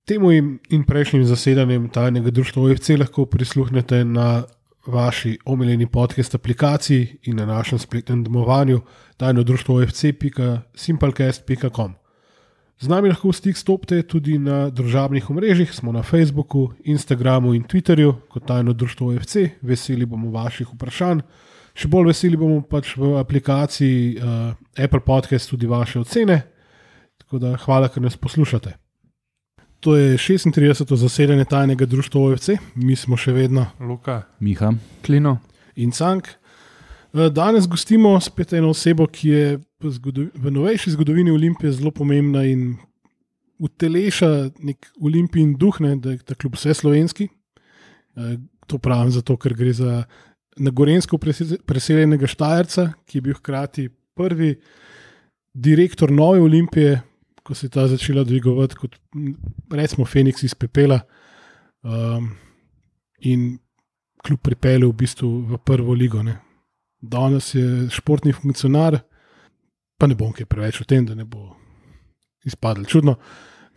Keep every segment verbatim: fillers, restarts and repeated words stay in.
Temu in prejšnjim zasedanjem tajnega društva O F C lahko prisluhnete na vaši omiljeni podcast aplikaciji in na našem spletnem domovanju tajno društvo O F C pika simplecast pika com. Z nami lahko v stik stopite tudi na družabnih omrežjih, smo na Facebooku, Instagramu in Twitterju kot tajno društvo O F C. Veseli bomo vaših vprašanj. Še bolj veseli bomo pač v aplikaciji uh, Apple Podcast tudi vaše ocene. Tako da hvala, ker nas poslušate. To je šestintrideseto zasedanje tajnega društva O F C. Mi smo še vedno Luka, Miha, Klino in Cank. Danes gostimo spet eno osebo, ki je v novejši zgodovini Olimpije zelo pomembna in uteleša nek Olimpijin duh, ne, da je ta klub vse slovenski. To pravim zato, ker gre za na Gorenjsko preseljenega Štajerca, ki je bil hkrati prvi direktor nove Olimpije, ko se je ta začela dvigovati kot, recimo, Feniks iz pepela, um, in klub pripeljal v bistvu v prvo ligo. Ne. Danes je športni funkcionar, pa ne bom kaj preveč o tem, da ne bo izpadlo čudno.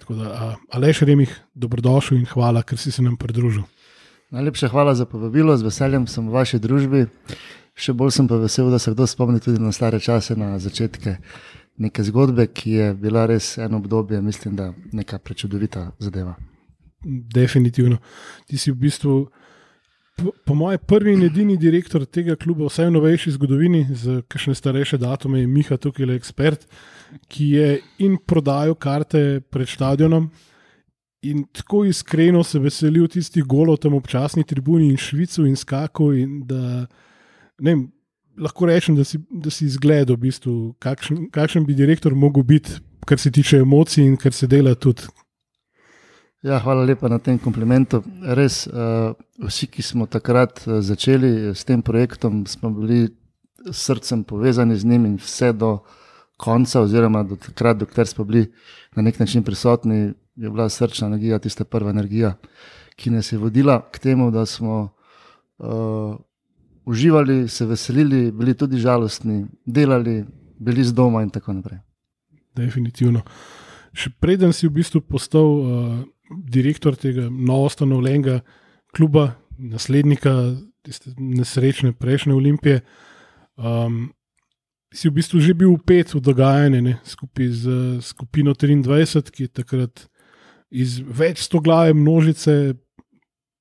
Tako da, Aleš Remih, dobrodošel in hvala, ker si se nam pridružil. Najlepša hvala za povabilo, z veseljem sem v vaši družbi. Še bolj sem pa vesel, da se kdo spomni tudi na stare čase, na začetke neke zgodbe, ki je bila res eno obdobje, mislim, da neka prečudovita zadeva. Definitivno. Ti si v bistvu, po, po moje, prvi in edini direktor tega kluba, vsaj v novejši zgodovini, z kakšne starejše datume je Miha tukaj le ekspert, ki je in prodajal karte pred stadionom in tako iskreno se veselil tistih golov tam občasni tribuni in švicu in skaku in da, ne vem, lahko rečem, da si, da si izgledal v bistvu, kakšen, kakšen bi direktor mogel biti, kar se tiče emocij in kar se dela tudi. Ja, hvala lepa na tem komplimentu. Res, uh, vsi, ki smo takrat začeli s tem projektom, smo bili s srcem povezani z njim in vse do konca, oziroma do takrat, dokler smo bili na nek način prisotni, je bila srčna energija, tista prva energija, ki nas je vodila k temu, da smo uh, uživali, se veselili, bili tudi žalostni, delali, bili z doma in tako naprej. Definitivno. Še preden si v bistvu postal uh, direktor tega novoustanovljenega kluba, naslednika tiste nesrečne prejšnje Olimpije, um, si v bistvu že bil vpet v dogajanje, ne, skupaj z uh, skupino triindvajset, ki je takrat iz več sto glave množice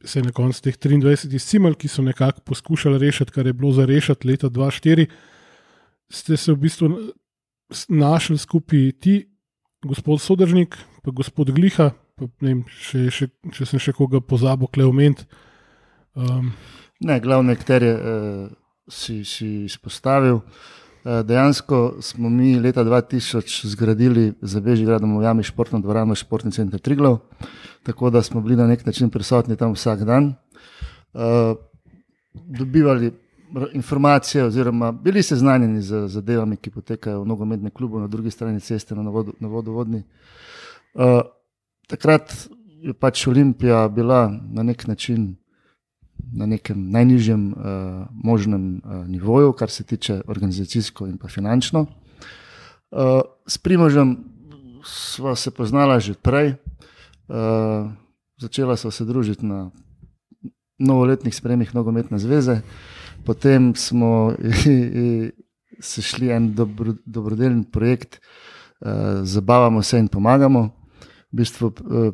se je na koncu teh triindvajset izcimal, ki so nekako poskušali rešiti, kar je bilo za rešiti leta dva tisoč štiri, ste se v bistvu našli skupaj ti, gospod Sodržnik, pa gospod Gliha, pa ne vem, še, še, če sem še koga pozabil Kleoment. Um. Ne, glavne akterje uh, si, si izpostavil. Uh, dejansko smo mi leta dva tisoč zgradili za Bežigradom v jami športno dvorano Športni center Triglav, tako da smo bili na nek način prisotni tam vsak dan. Uh, dobivali informacije oziroma bili seznanjeni z zadevami, ki potekajo v nogometnem klubu na drugi strani ceste na, vodo, na vodovodni. Uh, takrat je pač Olimpija bila na nek način na nekem najnižjem uh, možnem uh, nivoju, kar se tiče organizacijsko in pa finančno. Uh, s Primožem sva se poznala že prej, uh, začela sva se družiti na novoletnih sprejemih Nogometne zveze, potem smo i, i, se šli en dobro, dobrodelni projekt, uh, zabavamo se in pomagamo, v bistvu uh,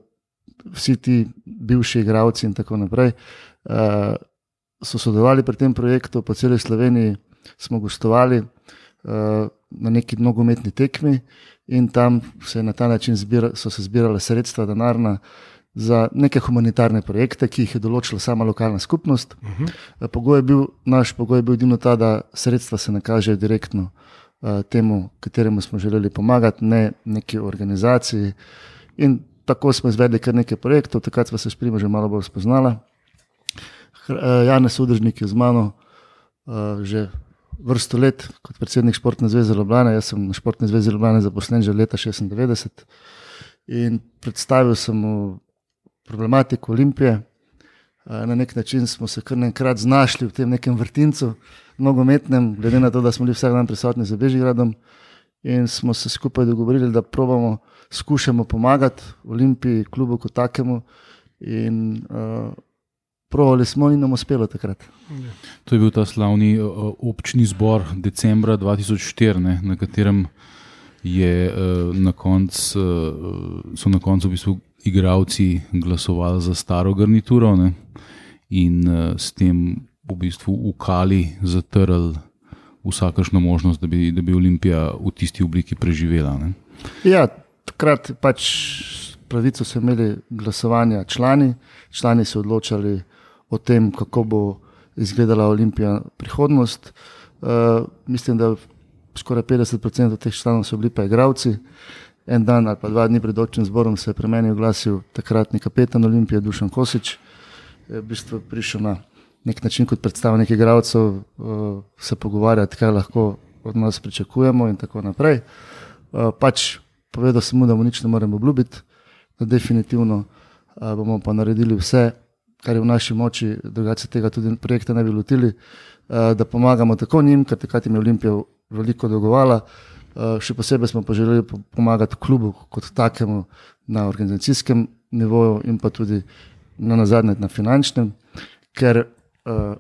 vsi ti bivši igralci in tako naprej, Uh, so sodelovali pri tem projektu, po celi Sloveniji smo gostovali uh, na neki nogometni tekmi in tam se na ta način zbira, so se zbirale sredstva denarna za neke humanitarne projekte, ki jih je določila sama lokalna skupnost. Uh-huh. Uh, pogoj je bil, naš pogoj je bil edino ta, da sredstva se nakažejo direktno uh, temu, kateremu smo želeli pomagati, ne neki organizaciji. In tako smo izvedli kar nekaj projektov, takrat smo se s Primožem malo bolj spoznala. Janez Sodržnik je z mano uh, že vrsto let kot predsednik Športne zveze Ljubljana. Jaz sem na Športni zvezi Ljubljana zaposlen že leta šestindevetdeset in predstavil sem mu problematiko Olimpije. Uh, na nek način smo se kar nekrat znašli v tem nekem vrtincu nogometnem, glede na to, da smo bili vsak dan prisotni za Bežigradom in smo se skupaj dogovorili, da probamo skušamo pomagati Olimpiji, klubu kot takemu in uh, provali smo in nam uspelo takrat. To je bil ta slavni uh, občni zbor decembra dva tisoč štiri, ne, na katerem je, uh, na konc, uh, so na koncu v bistvu igralci glasovali za staro garnituro, ne, in uh, s tem v bistvu ukali, zatrli vsakršno možnost, da bi, da bi Olimpija v tisti obliki preživela. Ne. Ja, takrat pač pravico so imeli glasovanja člani, člani so odločali o tem, kako bo izgledala Olimpija prihodnost. Uh, mislim, da skoraj petdeset procentov teh članov so bili pa igralci. En dan ali pa dva dni pred občnim zborom se je pri meni oglasil takratni kapetan Olimpije Dušan Kosič. Je v bistvu prišel na nek način kot predstavnik igralcev uh, se pogovarjati, kaj lahko od nas pričakujemo in tako naprej. Uh, pač povedal sem mu, da mu nič ne moremo obljubiti, da definitivno uh, bomo pa naredili vse, kar je v naši moči, drugače tega tudi projekta ne bi lotili, uh, da pomagamo tako njim, ker takrat jim je Olimpija veliko dolgovala. Uh, še posebej smo pa želeli pomagati klubu kot takemu na organizacijskem nivoju in pa tudi na nazadnje na finančnem, ker uh,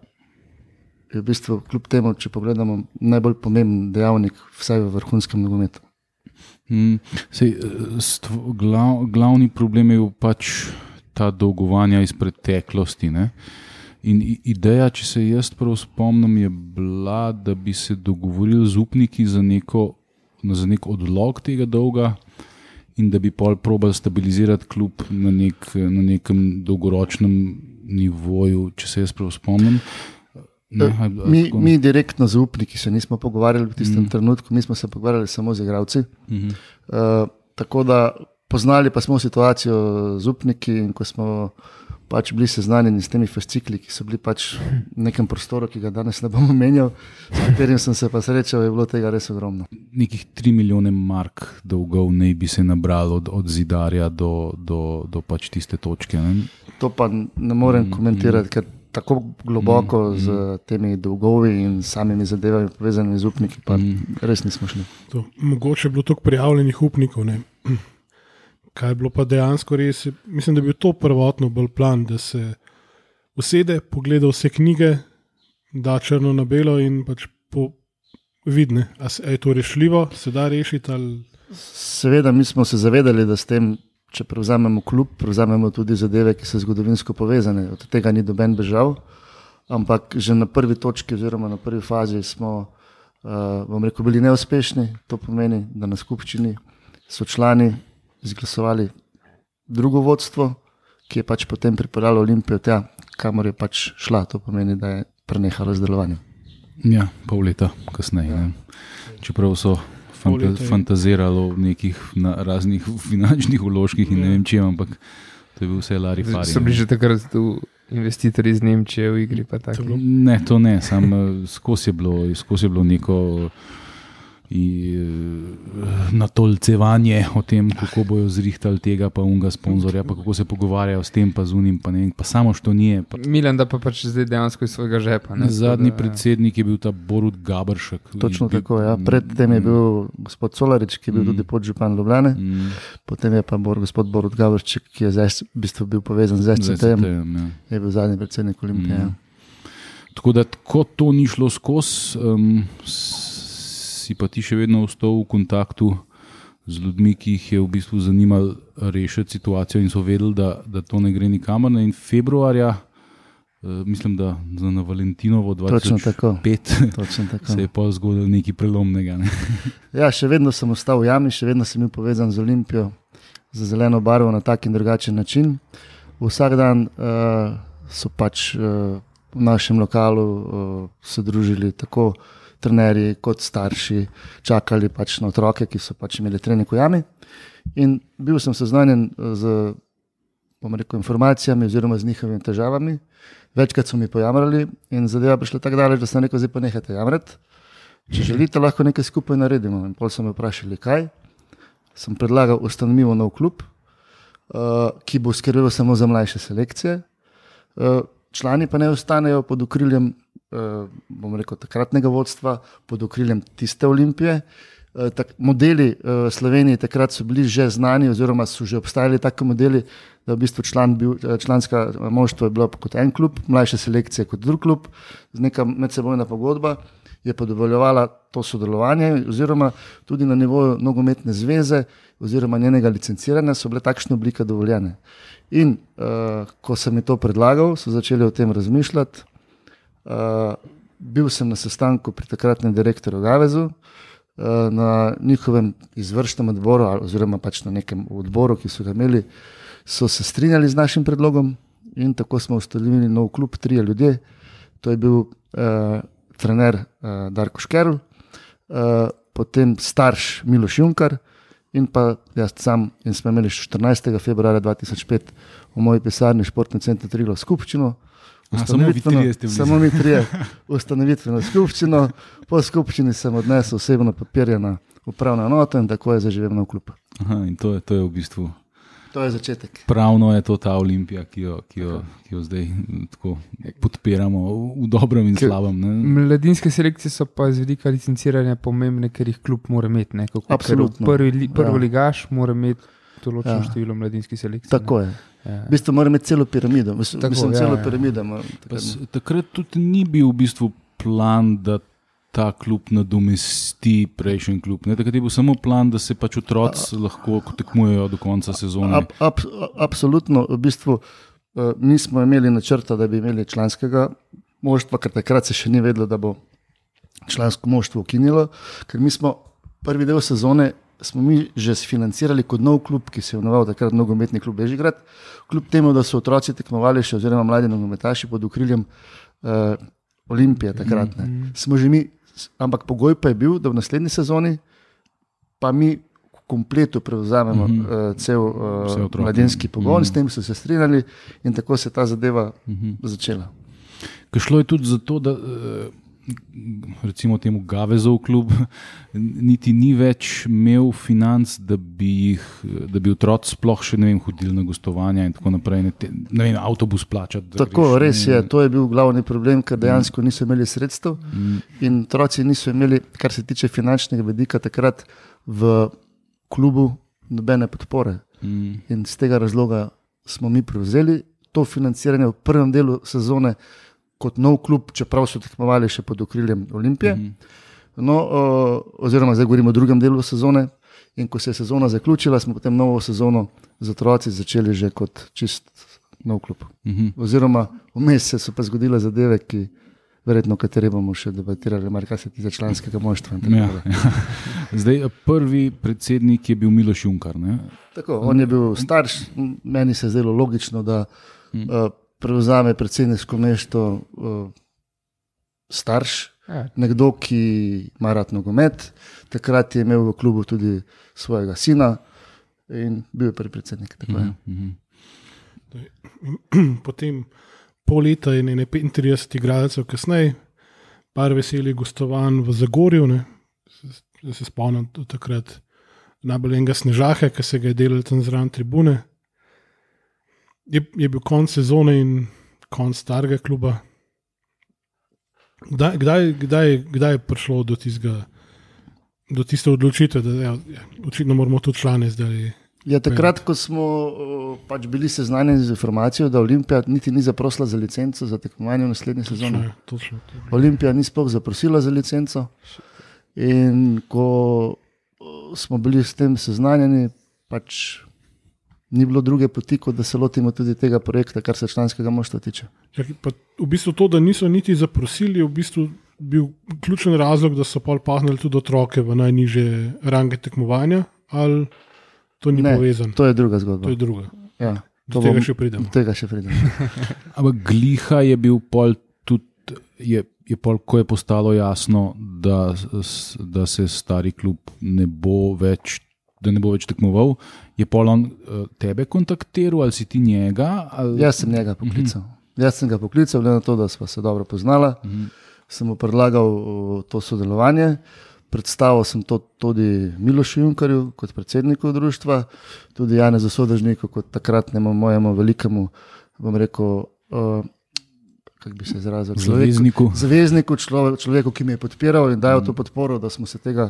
je v bistvu kljub temu, če pogledamo, najbolj pomemben dejavnik vsaj v vrhunskem nogometu. Hmm, sej, stvo, glav, glavni problem je pač ta dolgovanja iz preteklosti, ne? In ideja, če se jaz prav spomnim, je bila, da bi se dogovorili z upniki za, neko, za nek odlog tega dolga in da bi pol probali stabilizirati klub na, nek, na nekem dolgoročnem nivoju, če se jaz prav spomnim. Ne, a, a, mi, mi direktno z upniki se nismo pogovarjali v tistem mm. trenutku, mi smo se pogovarjali samo z igralci. Mm-hmm. Uh, tako da poznali pa smo situacijo z upniki in ko smo pač bili seznanjeni s temi fascikli, ki so bili pač v nekem prostoru, ki ga danes ne bom omenjal, s katerim sem se pa srečal, je bilo tega res ogromno. Nekih tri milijone mark dolgov naj bi se nabralo od, od Zidarja do, do, do pač tiste točke. Ne? To pa ne morem mm, komentirati, mm. ker tako globoko mm, z temi dolgovi in samimi zadevami povezanimi z upniki, pa mm. res nismo šli. To, mogoče je bilo toliko prijavljenih upnikov, ne? Kaj je bilo pa dejansko res, mislim, da bi bil to prvotno bolj plan, da se usede, pogleda vse knjige, da črno na belo in pač po vidne, a je to rešljivo, se da rešiti ali... Seveda, mi smo se zavedali, da s tem, če prevzamemo klub, prevzamemo tudi zadeve, ki so zgodovinsko povezane, od tega ni doben bežal, ampak že na prvi točki oziroma na prvi fazi smo, uh, bom rekel, bili neuspešni, to pomeni, da na skupščini so člani izglasovali drugo vodstvo, ki je pač potem pripeljalo Olimpijo tja, kamor je pač šla. To pomeni, da je prenehalo z delovanjem. Ja, pol leta kasneje. Ja. Čeprav so fanta- fantazirali o nekih na raznih finančnih vložkih in ja. ne vem čem, ampak to je bil vse lari fari. So bili že takrat tu investitorji iz Nemčije v igri? Pa taki. Ne, to ne, samo skozi je bilo, skozi je bilo neko natolcevanje o tem, kako bojo zrihtali tega pa unga sponzorja, pa kako se pogovarjajo s tem pa z unim, pa ne vem, pa samo što nije. Pa... Milan da pa pač zdaj dejansko iz svojega žepa. Ne? Zadnji da, predsednik je bil ta Borut Gabršek. Točno bil... tako, ja. Predtem je bil gospod Colarič, ki je bil mm. tudi podžupan Ljubljane, mm. potem je pa bor, gospod Borut Gabršek, ki je zdaj v bistvu bil povezan z S C T-jem, ja. je bil zadnji predsednik Olimpije. Mm. Ja. Tako da, ko to ni šlo skozi, um, si pa ti še vedno ostal v kontaktu z ljudmi, ki jih je v bistvu zanimalo rešiti situacijo in so vedeli, da, da to ne gre nikamor. In februarja, uh, mislim, da na Valentinovo dva tisoč pet se je pa zgodilo nekaj prelomnega. Ne? Ja, še vedno sem ostal v jami, še vedno sem bil povezan z Olimpijo, z zeleno barvo na tak in drugačen način. Vsak dan uh, so pač uh, v našem lokalu uh, se družili tako trenerji kot starši, čakali pač na otroke, ki so pač imeli trening v jami. In bil sem seznanjen z, bom rekel, informacijami oziroma z njihovimi težavami. Večkrat so mi pojamrali in zadeva prišla tako daleč, da sem rekel, zdaj pa nehajte jamrati. Če želite, lahko nekaj skupaj naredimo. In pol so me vprašali, kaj. Sem predlagal, ustanovimo nov klub, uh, ki bo skrbel samo za mlajše selekcije. Uh, člani pa ne ostanejo pod okriljem, Uh, bom rekel, takratnega vodstva, pod okriljem tiste Olimpije, tak, modeli v Sloveniji takrat so bili že znani, oziroma so že obstajali taki modeli, da v bistvu član bil, članska moštva je bilo kot en klub, mlajša selekcija kot drug klub, z neka medsebojna pogodba je pa dovoljevala to sodelovanje, oziroma tudi na nivoju nogometne zveze oziroma njenega licenciranja so bile takšne oblike dovoljene. In uh, ko sem mi to predlagal, so začeli o tem razmišljati. Uh, bil sem na sestanku pri takratnem direktorju Gavezu, uh, na njihovem izvršnem odboru, oziroma pač na nekem odboru, ki so ga imeli, so se strinjali z našim predlogom in tako smo ustanovili nov klub, trije ljudje. To je bil uh, trener uh, Darko Škerl, uh, potem starš Miloš Junkar in pa jaz sam, in smo imeli štirinajstega februarja dva tisoč pet v moji pisarni Športni center Triglav skupščino. Samo vi trije ste bili. Samo mi trije. Ustanovitveno skupščino. Po skupščini sem odnesel osebno papirje na upravno enoto in tako je zaživel nov klub. Aha, in to je, to je v bistvu... To je začetek. Pravno je to ta Olimpija, ki jo, ki jo, ki jo zdaj tako podpiramo v dobrem in slabem. Ne? Mladinske selekcije so pa z vidika licenciranja pomembne, ker jih klub mora imeti. Ne? Kako, Absolutno. Prvi, prvi Ja. ligaš mora imeti določeno Ja. število mladinskih selekcij. Tako je. Ja. V bistvu mora imeti celo piramido. Mislim, Tako, mislim ja, celo ja. piramido. ima Pa s- takrat. Takrat tudi ni bil v bistvu plan, da ta klub nadomesti prejšnji klub. Ne? Takrat je bil samo plan, da se pač otroci lahko tekmujejo do konca sezone. Ab, ab, absolutno, v bistvu uh, nismo imeli načrta, da bi imeli članskega moštva, ker takrat se še ni vedelo, da bo člansko moštvo ukinilo, ker mi smo prvi del sezone smo mi že sfinancirali kot nov klub, ki se je imenoval takrat nogometni klub Bežigrad, kljub temu, da so otroci tekmovali še, oziroma mladi nogometaši pod okriljem uh, Olimpije takrat. Ne. Smo že mi, ampak pogoj pa je bil, da v naslednji sezoni pa mi v kompletu prevzamemo Mhm. uh, cel Vse uh, otroke. mladinski pogon, Mhm. s tem so se strinjali in tako se je ta zadeva Mhm. začela. Ker šlo je tudi zato, da eh, recimo temu Gavezov klub niti ni več imel financ, da bi jih, da bi otroci sploh še ne vem, hodili na gostovanja in tako naprej, ne, te, ne vem, avtobus plačati. da Tako, greš, res ne, je, to je bil glavni problem, ker dejansko niso imeli sredstev Mm. in otroci niso imeli, kar se tiče finančnega vidika, takrat v klubu nobene podpore. Mm. In z tega razloga smo mi prevzeli to financiranje v prvem delu sezone kot nov klub, čeprav so tekmovali še pod okriljem Olimpije. Mhm. No, o, oziroma, zdaj govorimo o drugem delu sezone. In ko se je sezona zaključila, smo potem novo sezono z otroci začeli že kot čist nov klub. Mhm. Oziroma, vmes se so pa zgodile zadeve, ki verjetno, o kateri bomo še debatirali, mar kar se tiče članskega moštva. in tako Ja, naprej. ja. Zdaj, prvi predsednik je bil Miloš Junkar. Ne? Tako, on je bil starš, m, meni se je zdelo logično, da Mm. uh, prevzame predsedniško mesto uh, starš, Ja, nekdo, ki ima rad nogomet. Takrat je imel v klubu tudi svojega sina in bil je prvi predsednik. Tako je. Mhm. Potem pol leta in ne petintrideset igralcev kasneje, par veselih gostovanj v Zagorju, ne. Se, se spomnim do takrat najbolj enega Snežaha, ki se ga je delal tam zraven tribune. Je, je bil konc sezone in konc starega kluba. Kdaj, kdaj, kdaj, kdaj je prišlo do tistega, do tiste odločitve, da ja, ja, očitno moramo tudi člane zdaj. Ja, takrat, ko smo uh, pač bili seznanjeni z informacijo, da Olimpija niti ni zaprosila za licenco za tekmovanje v naslednji sezoni. Točno, točno. Olimpija ni sploh zaprosila za licenco. In ko uh, smo bili s tem seznanjeni, pač ni bilo druge poti, kot da se lotimo tudi tega projekta, kar se članskega moštva tiče. Čakaj, pa v bistvu to, da niso niti zaprosili, je v bistvu bil ključen razlog, da so pol pahnili tudi otroke v najnižje range tekmovanja, ali to ni Ne, povezano? To je druga zgodba. To je druga. Ja, Do to tega bom- še pridemo. do tega še pridemo. Ampak Gliha je bil pol tudi, je, je pol, ko je postalo jasno, da, s- da se stari klub ne bo več, da ne bo več tekmoval, je pol on eh, tebe kontaktiral ali si ti njega? Ali... Jaz sem njega poklical. Jaz sem ga poklical, glede na to, da sva se dobro poznala. Mhm. Sem mu predlagal uh, to sodelovanje. Predstavil sem to tudi Milošu Junkarju kot predsedniku društva, tudi Janezu Sodežniku kot takratnemu mojemu velikemu, bom rekel, uh, kako bi se izrazil, človeku, Zavezniku. zavezniku, človek, človeku, ki me je podpiral in dajal to podporo, da smo se tega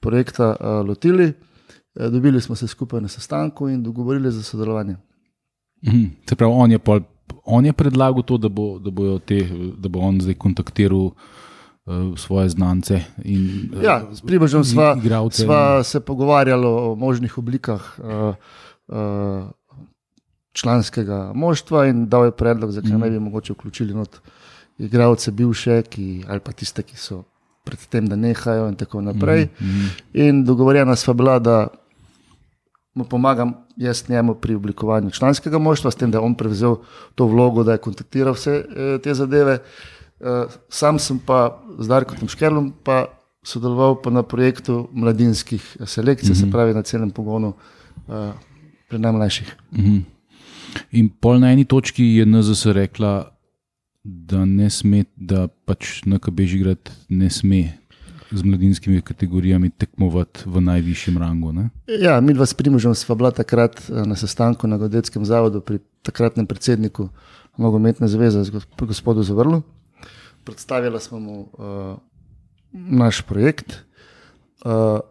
projekta uh, lotili, uh, dobili smo se skupaj na sestanku in dogovorili za sodelovanje. Mhm. Se pravi, on je, pol, on je predlagal to, da bo, da bojo te, da bo on zdaj kontaktiral uh, svoje znance in uh, Ja, s Primožem sva, igralce. sva se pogovarjali o možnih oblikah uh, uh, članskega moštva in dal je predlog, zakaj ne bi mogoče vključili not igralce bivše, ki, ali pa tiste, ki so pred tem, da nehajo in tako naprej. Mhm. In dogovorjena sva bila, da mu pomagam jaz njemu pri oblikovanju članskega moštva, s tem, da je on prevzel to vlogo, da je kontaktiral vse eh, te zadeve. Eh, sam sem pa z Darkom Škerlom pa sodeloval pa na projektu mladinskih selekcij, mm-hmm. se pravi na celem pogonu eh, pri najmlajših. Mhm. In pol na eni točki je N Z S rekla, da ne sme, da pač N K Bežigrad ne sme z mladinskimi kategorijami tekmovati v najvišjem rangu. Ne? Ja, mi dva s Primožem sva bila takrat na sestanku na Geodetskem zavodu pri takratnem predsedniku Nogometne zveze, gospodu Zavrlu. Predstavila smo mu uh, naš projekt. Uh,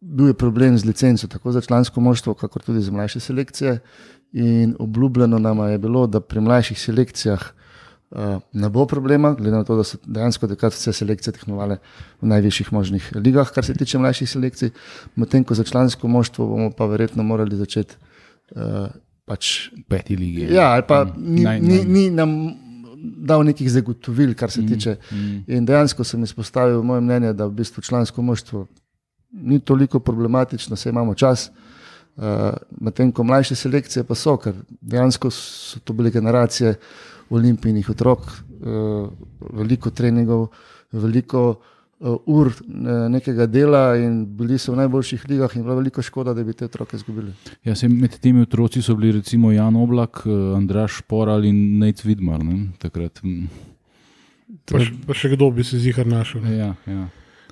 bil je problem z licenco, tako za člansko moštvo, kakor tudi za mlajše selekcije. In obljubljeno nama je bilo, da pri mlajših selekcijah uh, ne bo problema, glede na to, da so dejansko takrat vse selekcije tekmovale v najvišjih možnih ligah, kar se tiče mlajših selekcij. Medtem ko za člansko moštvo bomo pa verjetno morali začeti uh, pač Peti lige. Ja, ali pa ni, Naj- ni, naj- ni nam dal nekih zagotovil, kar se tiče. mm. In dejansko sem izpostavil moje mnenje, da v bistvu člansko moštvo ni toliko problematično, saj imamo čas. Uh, Medtem ko mlajše selekcije pa so, ker dejansko so to bile generacije olimpijnih otrok, uh, veliko treningov, veliko uh, ur uh, nekega dela in bili so v najboljših ligah in bila veliko škoda, da bi te otroke izgubili. Ja, se, med temi otroci so bili recimo Jan Oblak, eh, Andraž Šporal in Nejc Vidmar. Ne? Takrat. mm. Pa, š- pa še kdo bi se zihar našel. Ne? Ja, ja.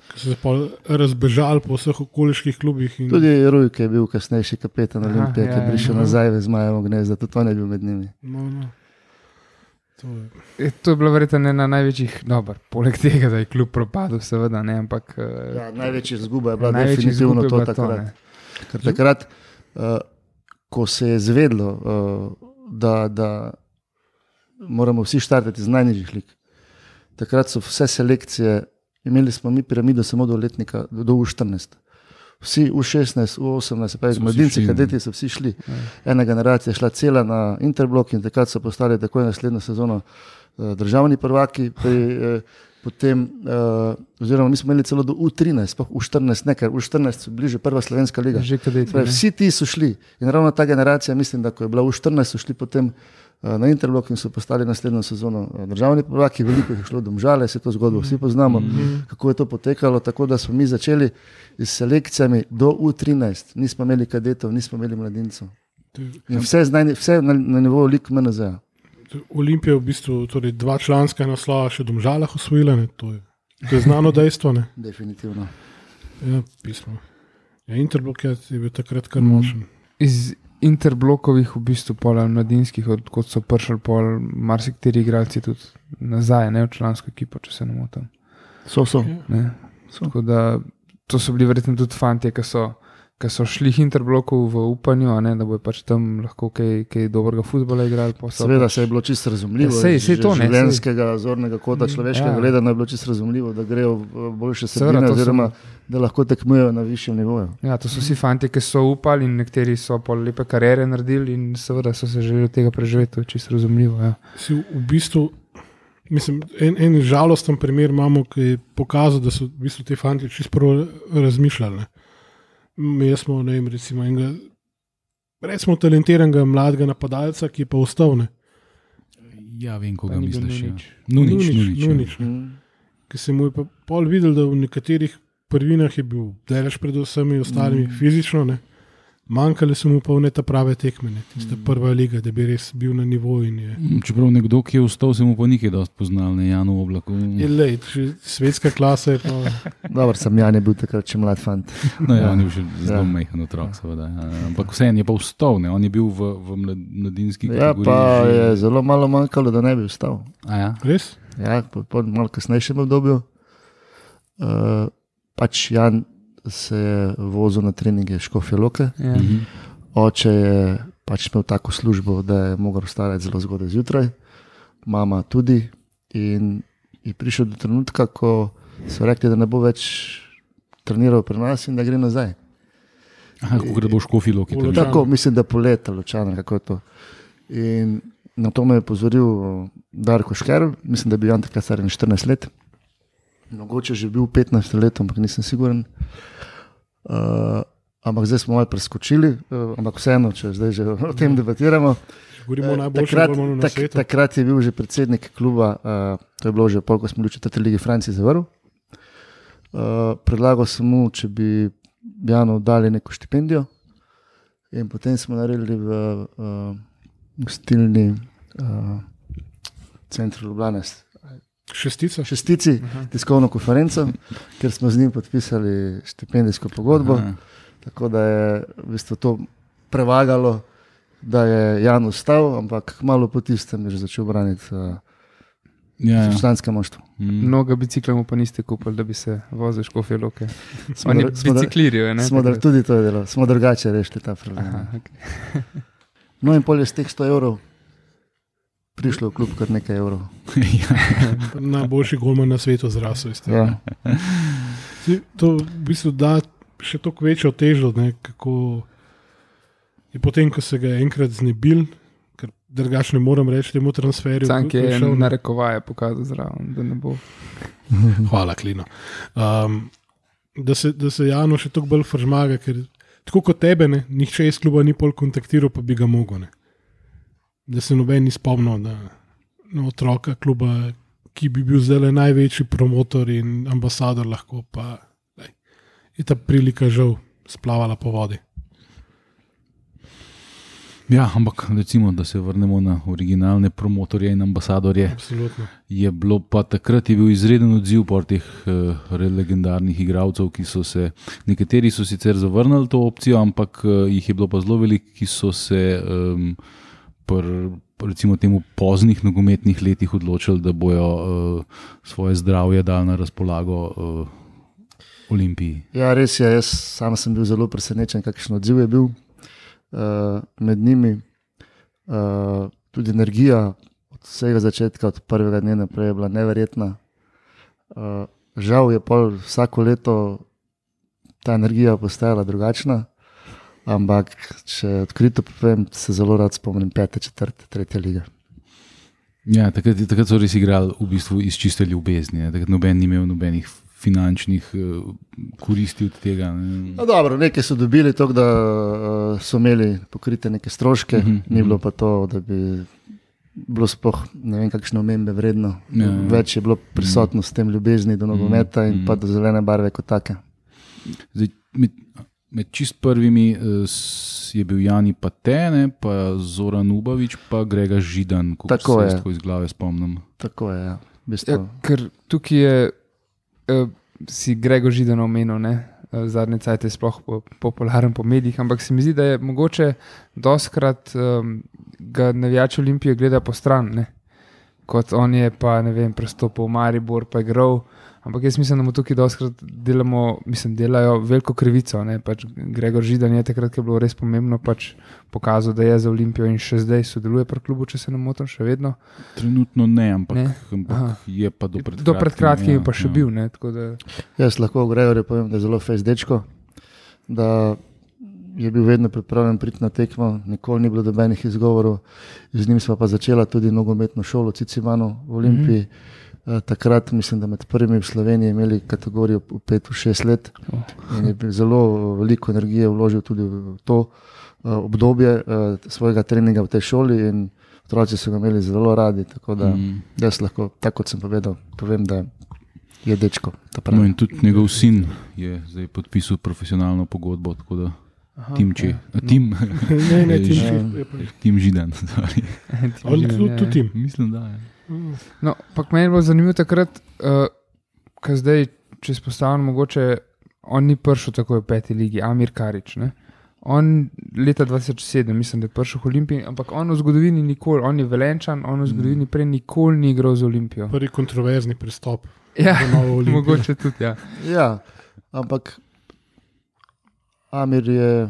Ko so se pa razbežali po vseh okoliških klubih. In... Tudi Rujk je bil kasnejši kapetan Aha, Olimpije, ki ja, je prišel ja. nazaj v Zmajevo gnezdo, tudi on je bil med njimi. No, no. To je. E, to je bilo verjetno ena največjih, dober, poleg tega, da je klub propadel, seveda, ne, ampak eh, Ja, največja izguba je bila največji definitivno izgub je to bila takrat. ne. Ker takrat, uh, ko se je zvedlo, uh, da, da moramo vsi štartati z najnižjih lig, takrat so vse selekcije, imeli smo mi piramido samo do letnika, do, do U štirinajst. Vsi U šestnajst, U osemnajst, se pravi, So vsi mladinci, šli, ne. kadeti so vsi šli. Ena generacija je šla cela na Interblok in takrat so postali takoj naslednjo sezono uh, državni prvaki. Pri, uh, potem, uh, oziroma mi smo imeli celo do U trinajst, sploh U štirinajst, ne, ker U štirinajst so bili že prva slovenska liga. Že kadeti, Pravi, ne. vsi ti so šli in ravno ta generacija, mislim, da ko je bila U štirinajst, so šli potem uh, na Interblok in so postali naslednjo sezono uh, državni prvaki, veliko jih je šlo Domžale, se to zgodbo vsi poznamo, mm-hmm. kako je to potekalo, tako da smo mi začeli s selekcijami do U trinajst, nismo imeli kadetov, nismo imeli mladincev. In vse, znaj, vse na, na nivoju lig M N Z-a. Olimpija je v bistvu torej dva članska naslova še v Domžalah osvojila, ne? To je, to je znano dejstvo. Ne? Definitivno. Ja, pismo. Ja, Interblok je, je bil takrat kar močen. Iz interblokovih, v bistvu pol ali mladinskih, odkot so prišli pol marsikateri igralci tudi nazaj, ne v člansko ekipo, če se ne motim. So, so. Ne. Tako da to so bili verjetno tudi fantje, ki so, ki so šli Interbloku v upanju, a ne, da bojo pač tam lahko kaj, kaj dobrega futbola igrali. pa so Seveda pač- se je bilo čisto razumljivo, Ja, sej- iz sej to, ne, življenjskega, zornega kota, človeškega ja. gledanja je bilo čisto razumljivo, da grejo v boljše Seveda, sredine, to so- oziroma da lahko tekmujejo na višjem nivoju. Ja, to so vsi fanti, ki so upali in nekateri so pol lepe kariere naredili in seveda so se želeli tega preživeti, to je čisto razumljivo. Ja. Si v bistvu, mislim, en, en žalosten primer imamo, ki je pokazal, da so v bistvu te fanti čisto prvo razmišljali. Ne. Mi smo, ne vem, recimo enega, recimo talentiranega mladega napadalca, ki je pa ostal, ne. Ja, vem, koga Pa ni bil misliš. Ja. Nunić. Nunić, Nunić, Nunić, ja. Nunić, ne. Ki se mu je pa pol videl, da v nekaterih prvinah je bil delež pred vsemi ostalimi mm. fizično, ne. Manjkale so mu pa v ne ta prave tekme, ne. Tista mm. prva liga, da bi res bil na nivoju in je. Čeprav nekdo, ki je vstal, se mu pa nikaj dosti poznal, ne Janu Oblaku. Je lej, še svetska klasa je pa. Dobro, sem Jan je bil takrat še mlad fant. No, ja, on je bil še zelo Ja. majhen otrok, seveda. Ja. Ampak vseeno je pa vstal, ne. On je bil v, v mlad- mladinski Ja, kategoriji. pa že- je zelo malo manjkalo, da ne bi vstal. A ja? Res? Ja, po, po malo kasnejšem obdobju. Uh, pač Jan se je vozil na treninge Škofje Loke. Ja. Mhm. Oče je pač imel tako službo, da je mogel vstajati zelo zgodaj zjutraj, mama tudi. In je prišel do trenutka, ko so rekli, da ne bo več treniral pri nas in da gre nazaj. Aha, kako da bo v Škofji Loki. V Ločanu. Tako, mislim, da poleta, Ločana, kako je to. In na to me je pozoril Darko Šker, mislim, da je bil Jan takrat star štirinajst let. Mogoče že bil petnajst let, ampak nisem siguren. Uh, ampak zdaj smo malo preskočili, uh, ampak vseeno, če zdaj že o tem debatiramo. Govorimo o Eh, najboljšem takrat, golmanu na tak, svetu. takrat je bil že predsednik kluba, uh, to je bilo že pol, ko smo bili v četrti ligi Franciji zavrl. Uh, predlagal sem mu, če bi Janu dali neko štipendijo, in potem smo naredili v uh, gostilni uh, centru Ljubljane Šestica. šestici tiskovno konferenco, kjer smo z njim podpisali štipendijsko pogodbo. Aha. Tako da je v bistvu to prevagalo, da je Jan ustal, ampak malo po tistem je že začel braniti uh, Ja, ja. članske moštvo. Mm. Mnogo biciklov mu pa niste kupili, da bi se vozil Škofje Loke. Smo Oni dr- smo dr- biciklirijo, ne? Smo dr- tudi to je delo, smo drugače rešili ta problem. Aha, okay. No in pol je z teh sto evrov prišlo v klub kar nekaj evrov. Ja. Najboljši golman na svetu zrasel. iz tega. Ja. Saj to v bistvu da še toliko večjo težo, ne, kako je potem, ko se ga je enkrat znebil, ker drugače ne morem reči temu transferju. Cank je šel, ne. narekovaje pokazal zraven, da ne bo. Hvala, Klino. Um, da, se, da se Jano še toliko bolj fržmaga, ker tako kot tebe, ne, nihče iz kluba ni pol kontaktiral, pa bi ga mogel. Ne. Da se noben ni spomnil na, na otroka kluba, ki bi bil zdaj največji promotor in ambasador, lahko pa daj, je ta prilika žal splavala po vodi. Ja, ampak recimo, da se vrnemo na originalne promotorje in ambasadorje. Absolutno. Je bilo pa takrat je bil izreden odziv po teh uh, legendarnih igralcev, ki so se, nekateri so sicer zavrnili to opcijo, ampak uh, jih je bilo pa zelo veliko, ki so se um, pr, recimo temu poznih nogometnih letih odločili, da bojo uh, svoje zdravje dali na razpolago uh, Olimpiji. Ja, res je, jaz sam sem bil zelo presenečen, kakšen odziv je bil uh, med njimi. Uh, tudi energija od vsega začetka, od prvega dne naprej je bila neverjetna. Uh, žal je pol vsako leto ta energija postajala drugačna, ampak če odkrito povem, se zelo rad spomnim pete, četrte, tretje lige. Ja, takrat, takrat so res igrali v bistvu iz čiste ljubezni, ne? Takrat noben ni imel nobenih finančnih uh, koristi od tega. Ne? No, dobro, nekaj so dobili, to, da uh, so imeli pokrite neke stroške, Mhm, ni bilo pa to, da bi bilo sploh ne vem kakšne omembe vredno. Ja, ja. Več je bilo prisotno s tem ljubezni do nogometa in Mhm. pa do zelene barve kot take. Zdaj, med, med čist prvimi uh, s- je bil Jani Patene, pa Zoran Ubavič, pa Grega Židan, ko Tako se je. jaz tako iz glave spomnim. Tako je, ja. V bistvu, Ja, ker tukaj je, uh, si Gregor Židan omenil, ne? Uh, zadnje cajt je sploh po, popularen po medijih, ampak se mi zdi, da je mogoče doskrat um, ga navijači Olimpije gleda po stran, ne? Kot on je pa, ne vem, prestopil v Maribor, pa je igral, ampak jaz mislim, da mu tukaj doskrat delamo, mislim, delajo veliko krivico, ne? Pač Gregor Židan je takrat, ko je bilo res pomembno, pač pokazal, da je za Olimpijo in še zdaj sodeluje pri klubu, če se ne motim, še vedno. Trenutno ne, ampak, Ne? ampak Aha. je pa do pred Do pred kratkim je ja, pa še ja. bil, ne? Tako da, jaz lahko o Gregorju povem, da je zelo fejs dečko, da je bil vedno pripravljen priti na tekmo, nikoli ni bilo dobenih izgovorov. Z njim smo pa začela tudi nogometno šolo Cicimano v Olimpiji. Mm-hmm. Takrat mislim, da med prvimi v Sloveniji imeli kategorijo v pet, v šest let Oh. in je bil zelo veliko energije vložil tudi v to uh, obdobje uh, svojega treninga v tej šoli in otroci so ga imeli zelo radi, tako da Mm. jaz lahko, tako kot sem povedal, povem, da je dečko. ta pravi. No, in tudi njegov sin je zdaj podpisal profesionalno pogodbo, tako da aha, Tim Če, ja. a, Tim, Ne, ne, ti Ja. je pa. Tim Židan, sorry. Tim On Židan, tudi ja, tudi ja. tim. Mislim, da je. No, pa meni je bilo zanimivo takrat, uh, ko zdaj, če spostavljam, mogoče on ni prišel tako v peti ligi, Amir Karič. Ne? On leta dva tisoč sedem, mislim, da je prišel v Olimpiji, ampak on v zgodovini nikoli, on je Velenčan, on v zgodovini prej nikoli ni igral za Olimpijo. Prvi kontroverzni pristop. Ja, za novo Olimpijo. mogoče tudi, ja. Ja, ampak Amir je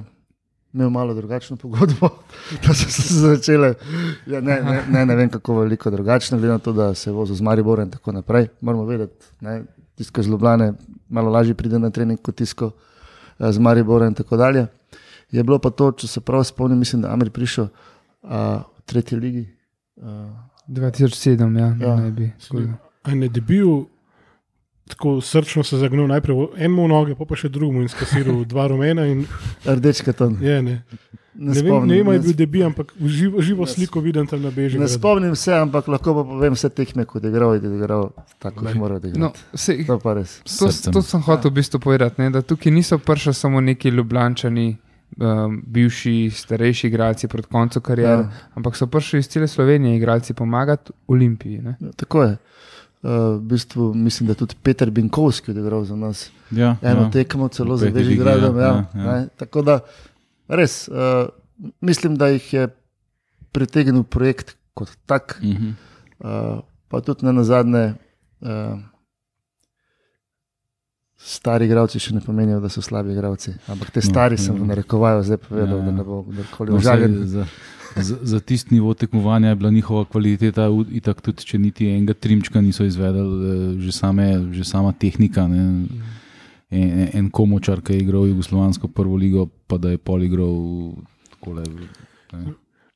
imel malo drugačno pogodbo, da so se začele, ja, ne, ne, ne, ne vem kako veliko drugačno, glede na to, da se je vozil z Mariborem in tako naprej. Moramo vedeti, ne, tisto iz Ljubljane malo lažje pride na trening kot tisto z Mariborem in tako dalje. Je bilo pa to, če se prav spomnim, mislim, da Amir prišel a, v tretji ligi. A, dva tisoč sedem, ja, Ja. naj bi. A ne debil, tako srčno se zagnil najprej v eno noge, pa pa še drugemu in skasiral dva rumena. In, Rdeč karton. je, ne. Ne, Ne vem, spomnim, ne vem, ali je ne, bil debi, ampak v živo, živo Ne sliko vidim tam na ne Bežigradu. spomnim se, ampak lahko pa povem vse tekme, kot je igral, in je igral tako, kot mora odigrati. No, sej, To pa res. to, Srcem. to sem hotel v bistvu povedati, ne, da tukaj niso prišli samo neki Ljubljančani, um, bivši, starejši igralci pred koncem kariere, Ja. ampak so prišli iz cele Slovenije igralci pomagati Olimpiji. Ne. Ja, tako je. Uh, v bistvu mislim, da je tudi Peter Binkovski odigral za nas Ja, eno ja. tekmo, celo V za peti ligi, Bežigradom. ja, Ja, ja, ja. ja. Tako da res, uh, mislim, da jih je pritegnil projekt kot tak, Mhm. uh, pa tudi ne nazadnje. Uh, Stari igralci še ne pomenijo, da so slabi igralci, ampak te No, stari sem ja. v narekovaju zdaj povedal, Ja, da ja. ne bo kdorkoli No, užaljen. saj za, za, za tisti nivo tekmovanja je bila njihova kvaliteta, v- itak tudi če niti enega trimčka niso izvedeli, eh, že, same, že sama tehnika. Ne. En, en, en komočar, ki je igral jugoslovansko prvo ligo, pa da je pol igral takole. Ne.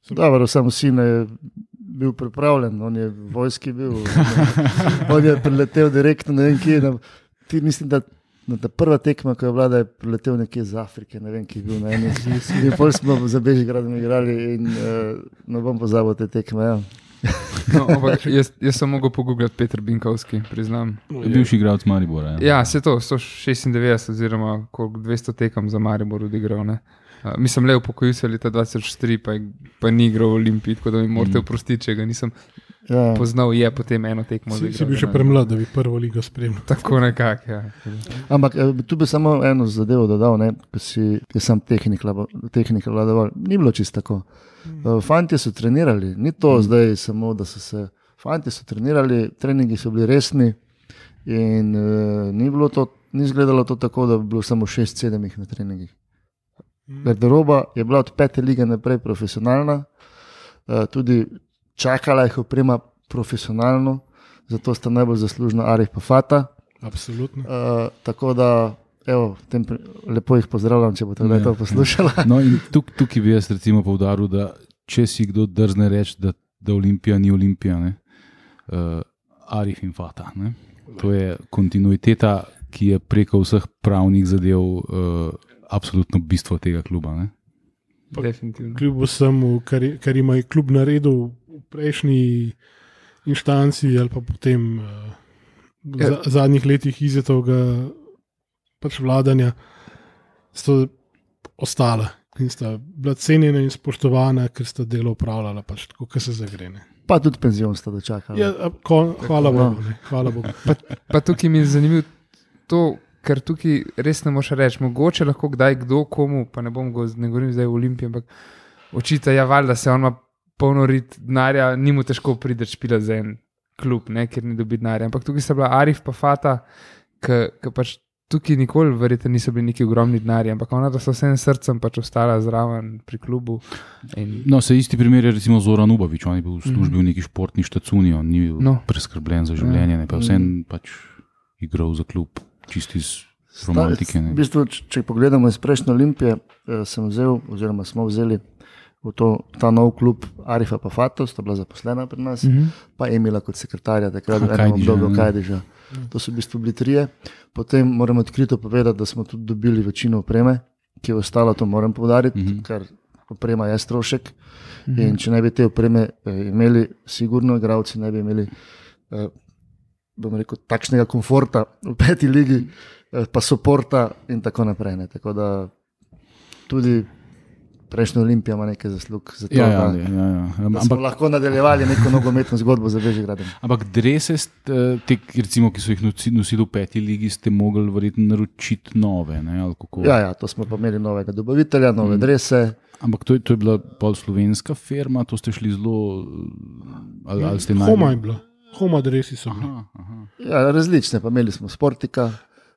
Dobro, samo sin je bil pripravljen, on je v vojski bil, on je, on je priletel direktno, ne vem kje. Na, ti mislim, da na ta prva tekma, ko je bila, da je priletel nekje iz Afrike, ne vem, ki je bil na eni. In pol smo za Bežigradom igrali in uh, ne bom pozabil te tekme. Ja. No, ampak jaz, jaz sem mogel pogooglati Peter Binkovski, priznam. Bivši igralec Maribora. Ja. Ja, se to, sto šestindevetdeset oziroma koliko dvesto tekem za Maribor odigral. Ne. Uh, mislim, le upokojil se leta dva tisoč tri, pa, je- pa ni igral v Olimpiji, tako da mi morate Mm. oprostiti, če ga nisem Ja. poznal, je potem eno tekmo Si, si odigral, bil še ne. premlad, da bi prvo ligo spremljal. Tako nekako, ja. Ampak eh, tu bi samo eno zadevo dodal, ne, ko si je sam tehnik, labo- tehnika vladoval. Ni bilo čisto tako. Uh, Fantje so trenirali, ni to mm. zdaj samo, da so se. Fantje so trenirali, treningi so bili resni in uh, ni, bilo to, ni izgledalo to tako, da bi bilo samo šest, sedem jih na treningih. Garderoba je bila od pete lige naprej profesionalna, uh, tudi čakala jih oprema profesionalno, zato sta najbolj zaslužna Arif pa Fata. Absolutno. Uh, tako da, evo, v tem, pri- lepo jih pozdravljam, če boste Ja, to poslušali. No, in tuk, tukaj bi jaz recimo poudaril, da če si kdo drzne reči, da, da Olimpija ni Olimpija, ne, uh, Arif in Fata. Ne. To je kontinuiteta, ki je preko vseh pravnih zadev uh, absolutno bistvo tega kluba. Ne. Definitivno. Kljub vsemu, kar, je- kar ima je klub naredil v prejšnji inštanci ali pa potem uh, v za, zadnjih letih izetovega pač vladanja, sta ostala in sta bila cenjena in spoštovana, ker sta delo upravljala pač tako, kot se zagrene. Pa tudi penzion sta dočakali. Ja, a, ko, hvala Bogu. Ne, hvala Bogu. Pa tukaj mi je zanimivo to, ker tukaj res ne moš reči, mogoče lahko kdaj kdo komu, pa ne bom go, ne govorim zdaj v Olimpiji, ampak očita, ja, valjda se on ima polno rit denarja, ni mu težko priti špila za en klub, ne, ker ni dobi denarja. Ampak tukaj sta bila Arif pa Fata, ki pač tukaj nikoli verjetno niso bili neki ogromni denarji, ampak ona, da so vsem srcem pač ostala zraven pri klubu. In, No, se isti primer je recimo Zoran Ubavič, on je bil v službi v neki športni štacuni, on ni bil No. preskrbljen za življenje, ne, pa vsem pač igral za klub, čisti iz romantike. V Ne. bistvu, č- če pogledamo iz prejšnje Olimpije, eh, sem vzel, oziroma smo vzeli v to, ta nov klub Arifa pa Fato, sta bila zaposlena pri nas, Mhm. pa Emila kot sekretarja, takrat Aha, v enem Kajdiža, obdobju ne. Kajdiža. To so v bistvu bili trije. Potem moram odkrito povedati, da smo tudi dobili večino opreme, ki je ostala, to moram poudariti, Mhm. ker oprema je strošek. In če ne bi te opreme eh, imeli, sigurno igralci ne bi imeli eh, bom rekel, takšnega komforta v peti ligi, eh, pa soporta in tako naprej. Ne. Tako da tudi prejšnja Olimpija ima nekaj zaslug za to, Ja, ja, da, ja, ja, ja. da smo Ampak, lahko nadaljevali neko nogometno zgodbo za Bežigradom. ampak drese, ste, te, recimo, ki so jih nosi- nosili v peti ligi, ste mogli verjetno naročiti nove. Ne, ali kako? Ja, ja, to smo pa imeli novega dobavitelja, nove drese. Ampak to je, to je bila pol slovenska firma, to ste šli zelo. Ali, ali ste Homa je najbolj. bilo, homa dresi so bili. Aha, aha. Ja, različne, pa imeli smo Sportika,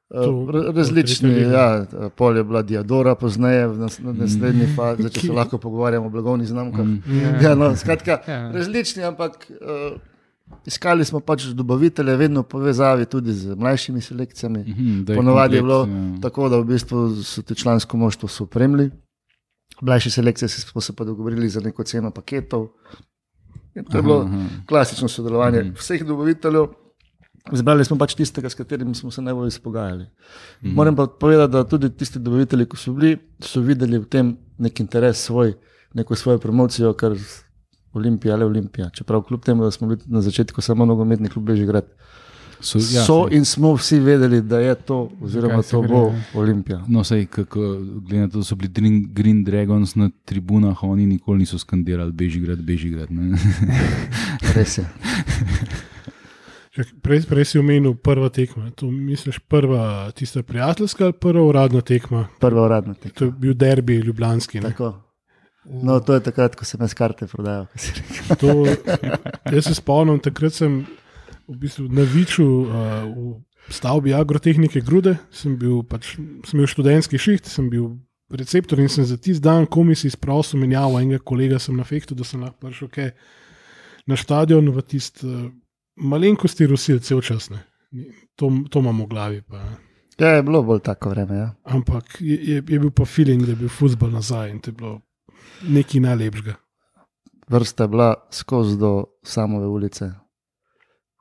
To- Uh, različni, to tretja ja, pol je bila Diadora, pozneje v nas- na naslednji fazi, če se lahko pogovarjamo o blagovnih znamkah. Mm. Ja, no, skratka, Ja. različni, ampak uh, iskali smo pač dobavitelje, vedno v povezavi tudi z mlajšimi selekcijami. Mhm, da Ponavadi je bilo komplekt, ja. tako, da v bistvu so te člansko moštvo so opremili. Mlajše selekcije se- smo se pa dogovorili za neko ceno paketov. In to je bilo Aha, aha. klasično sodelovanje Mhm. vseh dobaviteljev. Zbrali smo pač tistega, s katerim smo se najbolj izpogajali. Moram pa povedati, da tudi tisti dobavitelji, ki so bili, so videli v tem nek interes svoj, neko svojo promocijo, kar Olimpija, le Olimpija. Čeprav kljub temu, da smo bili na začetku samo nogometni klub Bežigrad, So, ja, ja, so saj- in smo vsi vedeli, da je to, oziroma Kaj se to gre, bo ja. Olimpija. No, sej, kako, glede na to, da so bili Green, Green Dragons na tribunah, oni nikoli niso skandirali Bežigrad, Bežigrad. Ne? Res je. Čak, Prej, prej si omenil prva tekma. To misliš prva tista prijateljska ali prva uradna tekma? Prva uradna tekma. To je bil derbi ljubljanski. Ne? Tako. No, to je takrat, ko sem jaz karte prodajal. ko si rekel. To, jaz se spomnim, takrat sem v bistvu na Viču uh, v stavbi agrotehnike Grude, sem bil pač, sem imel študentski šiht, sem bil receptor in sem za tisti dan komisi izprosil menjavo enega kolega, sem na fektu, da sem lahko prišel kaj na stadion v tisti uh, malenkosti Rusil cel čas. Ne. To, to imam v glavi. Pa, ne. Ja, je bilo bolj tako vreme. Ja. Ampak je, je, je bil pa feeling, da je bil futbol nazaj in to je bilo nekaj najlepšega. Vrsta je bila skozi do samove ulice.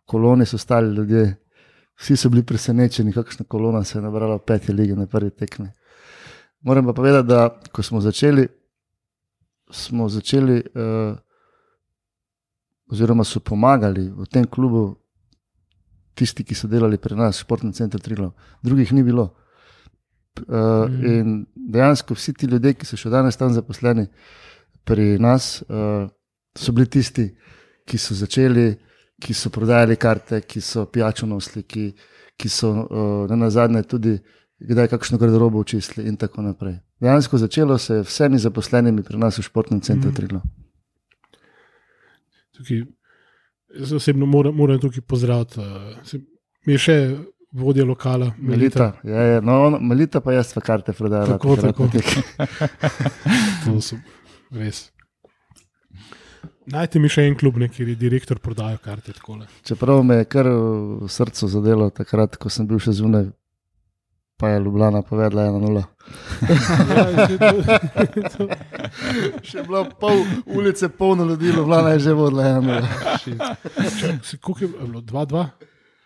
Koloni so stali ljudje, vsi so bili presenečeni, kakšna kolona se je nabrala v peti ligi na prvi tekmi. Moram pa povedati, da ko smo začeli, smo začeli, uh, oziroma so pomagali v tem klubu tisti, ki so delali pri nas, Športni center Triglav, drugih ni bilo. Uh, mm. In dejansko vsi ti ljudje, ki so še danes tam zaposleni pri nas, uh, so bili tisti, ki so začeli, ki so prodajali karte, ki so pijačo nosili, ki, ki so uh, na nazadnje tudi kdaj kakšno garderobo očistili in tako naprej. Dejansko začelo se je vsemi zaposlenimi pri nas v Športnem centru mm. Triglav. Tukaj, jaz osebno moram, moram tukaj pozdraviti. Uh, se, mi je še vodja lokala, Melita. Melita, ja, ja, no, on, Melita pa jaz v karte prodajala. Tako, takrat tako. na tekmi. To so res. Najte mi še en klub, ne, kjer je direktor prodajo karte. Takole. Čeprav me je kar v srcu zadelo takrat, ko sem bil še zunaj, pa je Ljubljana povedala ena nula. Ja, že to, to, Še je bilo pol ulice polno ljudi, Ljubljana je že vodila ena nula. se, koliko je bilo? dva dva?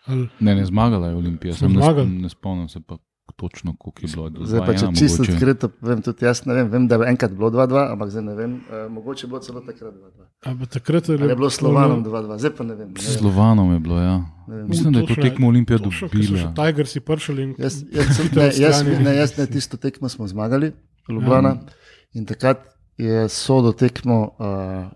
Ali, Ne, ne zmagala je Olimpija, Smo sem ne, zmagali. sp- ne spomnim se pa točno, koliko je bilo. Zdaj pa, če Ja, čisto mogoče. odkrito povem, tudi jaz ne vem, vem, da je enkrat bilo dva dva, ampak zdaj ne vem, uh, mogoče je bilo celo takrat dva dva. ali takrat Ali je bilo s Slovanom dva dva, zdaj pa ne vem. Ne S vem. Slovanom je bilo, ja. Ne vem. Mislim, da je to Točno je- tekmo Olimpija točno, ko so dobila. še Tigersi prišli in Jaz, jaz, sem, hitro ne, jaz, odstranili. ne, jaz ne tisto tekmo smo zmagali, Ljubljana, in takrat je sodo tekmo uh,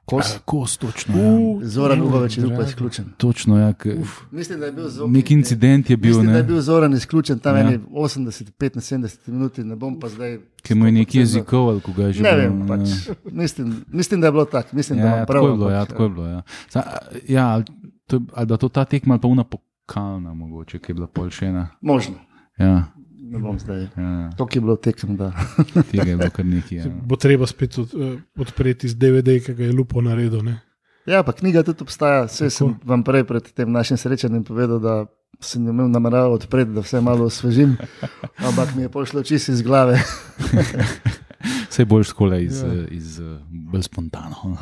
Kos. Kos, točno. U, Ja. Zoran uh, Ubovič je bil pa drago. izključen. Točno, ja. K, Mislim, da je bil zelo. nek incident je bil, Mislim, da ne. je bil Zoran izključen tam Ja. ja. osemdeset, petnajst, sedemdeset minut, ne bom pa zdaj. Ki mu je neki sto procentno jezikov, ali koga je že Ne bilo, vem, pač. Mislim, mislim, da je bilo tako. Mislim, da Ja, imam ja, prav. tako je bilo, ja, ampak, tako je bilo. Ja, Sa, ja ali, to, ali da to ta tekma, ali pa una pokalna, mogoče, ki je bila pol še ena. Možno. Ja, Ne bom zdaj. ja, Toliko je bilo tekem, da. tega je bilo kar nekaj. Ja. bo treba spet od, uh, odpreti z D V D, ki ga je Lupo naredil. Ne? Ja, pa knjiga tudi obstaja. Vse sem vam prej pred tem našim srečanjem povedal, da sem jo imel namerav odpreti, da vse malo osvežim, ampak mi je pošlo čisto iz glave. Vse boljš skole iz, Ja. ja. iz, iz bolj spontano.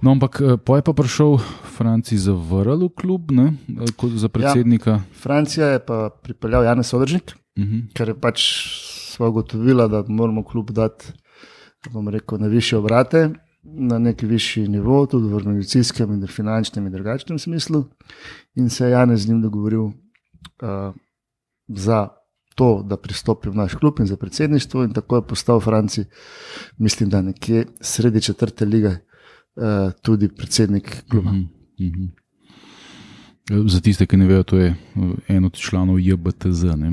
No, ampak eh, po je pa prišel Franci zavrl v klub, ne, eh, kot za predsednika. Francija je pa pripeljal Janez Sodržnik, Ja. Uh-huh. ker je pač sva ugotovila, da moramo klub dati, bom rekel, na više obrate, na neki višji nivo, tudi v organizacijskem in finančnem in drugačnem smislu. In se je Janez z njim dogovoril uh, za to, da pristopi v naš klub in za predsedništvo, in tako je postal Franci, mislim, da nekje sredi četrte lige, uh, tudi predsednik kluba. Uh-huh. Uh-huh. Za tiste, ki ne vejo, to je eh, en od članov J B T Z. Ne?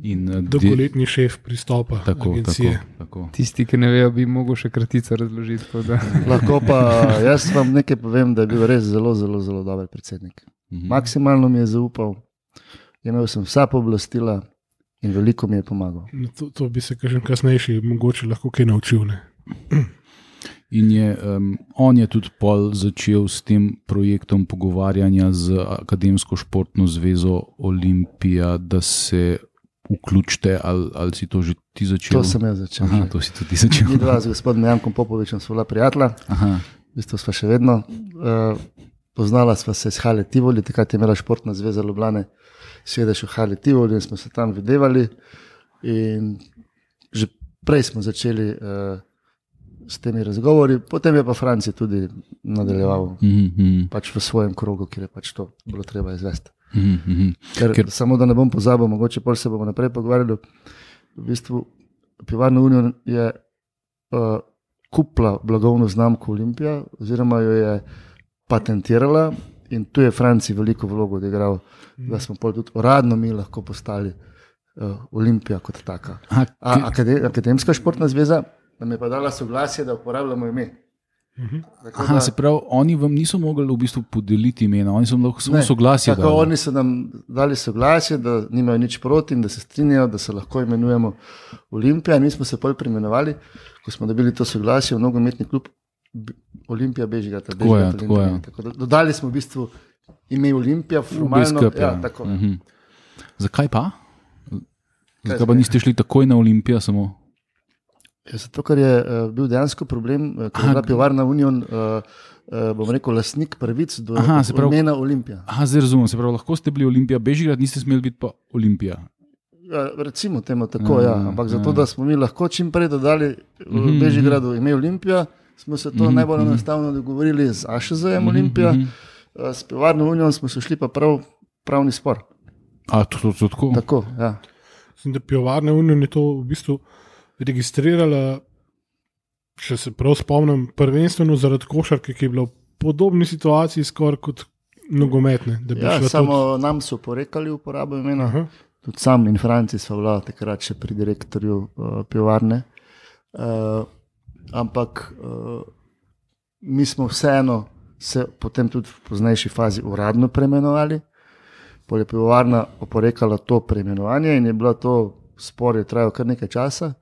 In, eh, de- Dolgoletni šef pristopa tako, tako, agencije. tako. Tisti, ki ne vejo, bi mogel še kratico razložiti. tako da- Lahko pa jaz vam nekaj povem, da je bil res zelo, zelo, zelo dober predsednik. Mhm. Maksimalno mi je zaupal, imel sem vsa pooblastila in veliko mi je pomagal. No, to, to bi se kažem kasnejši mogoče lahko kaj naučil. Ne? In je, um, on je tudi pol začel s tem projektom pogovarjanja z Akademsko športno zvezo Olimpija, da se vključite, ali, ali si to že ti začel? To sem jaz začel. Aha, to si tudi ti začel. Mi dva z gospodom Jankom Popovičem sva bila prijatelja, Aha. v bistvu sva še vedno. Uh, poznala sva se iz Hale Tivoli, takrat je imela športna zveza Ljubljane sedež v Hale Tivoli in smo se tam videvali. In že prej smo začeli uh, s temi razgovori, potem je pa Franci tudi nadaljeval Mm-hmm. pač v svojem krogu, kjer je pač to bilo treba izvesti. Mm-hmm. Ker, Ker- Ker, samo da ne bom pozabil, mogoče pol se bomo naprej pogovarjali. V bistvu Pivovarna Union je uh, kupila blagovno znamko Olimpija, oziroma jo je patentirala in tu je Franci veliko vlogo odigral, da smo pol tudi uradno mi lahko postali uh, Olimpija kot taka. Aha, A, ki- akade, Akademska športna zveza nam je pa dala soglasje, da uporabljamo ime. Tako Aha, da- se pravi, oni vam niso mogli v bistvu podeliti imena, oni so lahko samo Ne, soglasje Tako dali. oni so nam dali soglasje, da nimajo nič proti in da se strinjajo, da se lahko imenujemo Olimpija. In mi smo se pol preimenovali, ko smo dobili to soglasje v nogometni klub B- Olimpija Bežigrad. Tako je, tako je. Tako da dodali smo v bistvu ime Olimpija, V formalno. B S K P, Ja, tako. Mhm. Zakaj pa? Zakaj pa zdaj? niste šli takoj na Olimpijo samo? Ja, zato, ker je uh, bil dejansko problem, uh, ker je Aha, bila Pivovarna Union, uh, uh, bom rekel, lastnik pravic do Aha, se pravi- imena Olimpija. Aha, zdaj razumem, se pravi, lahko ste bili Olimpija Bežigrad, niste smeli biti pa Olimpija. Ja, recimo temu tako, Ja, ja, ja, ampak zato, ja. da smo mi lahko čim prej dodali v Mhm, Bežigradu ime Olimpija, smo se to Mhm, najbolj mhm. enostavno dogovorili z A Š Z-jem Mhm, Olimpija, mhm. eh, s Pivovarno Unijo smo se šli pa prav pravni spor. A, to, to, to tako? Tako, ja. Mislim, da Pivovarna Union je to v bistvu registrirala, če se prav spomnim, prvenstveno zaradi košarke, ki je bila v podobni situaciji skoraj kot nogometne. da bi Ja, šla samo nam so porekali uporabo tudi- imena, Aha. tudi sam in Franci so bila takrat še pri direktorju uh, pivovarne. Uh, ampak uh, mi smo vseeno se potem tudi v poznejši fazi uradno preimenovali. Pol je pivovarna oporekala to preimenovanje in je bilo to spor, je trajal kar nekaj časa.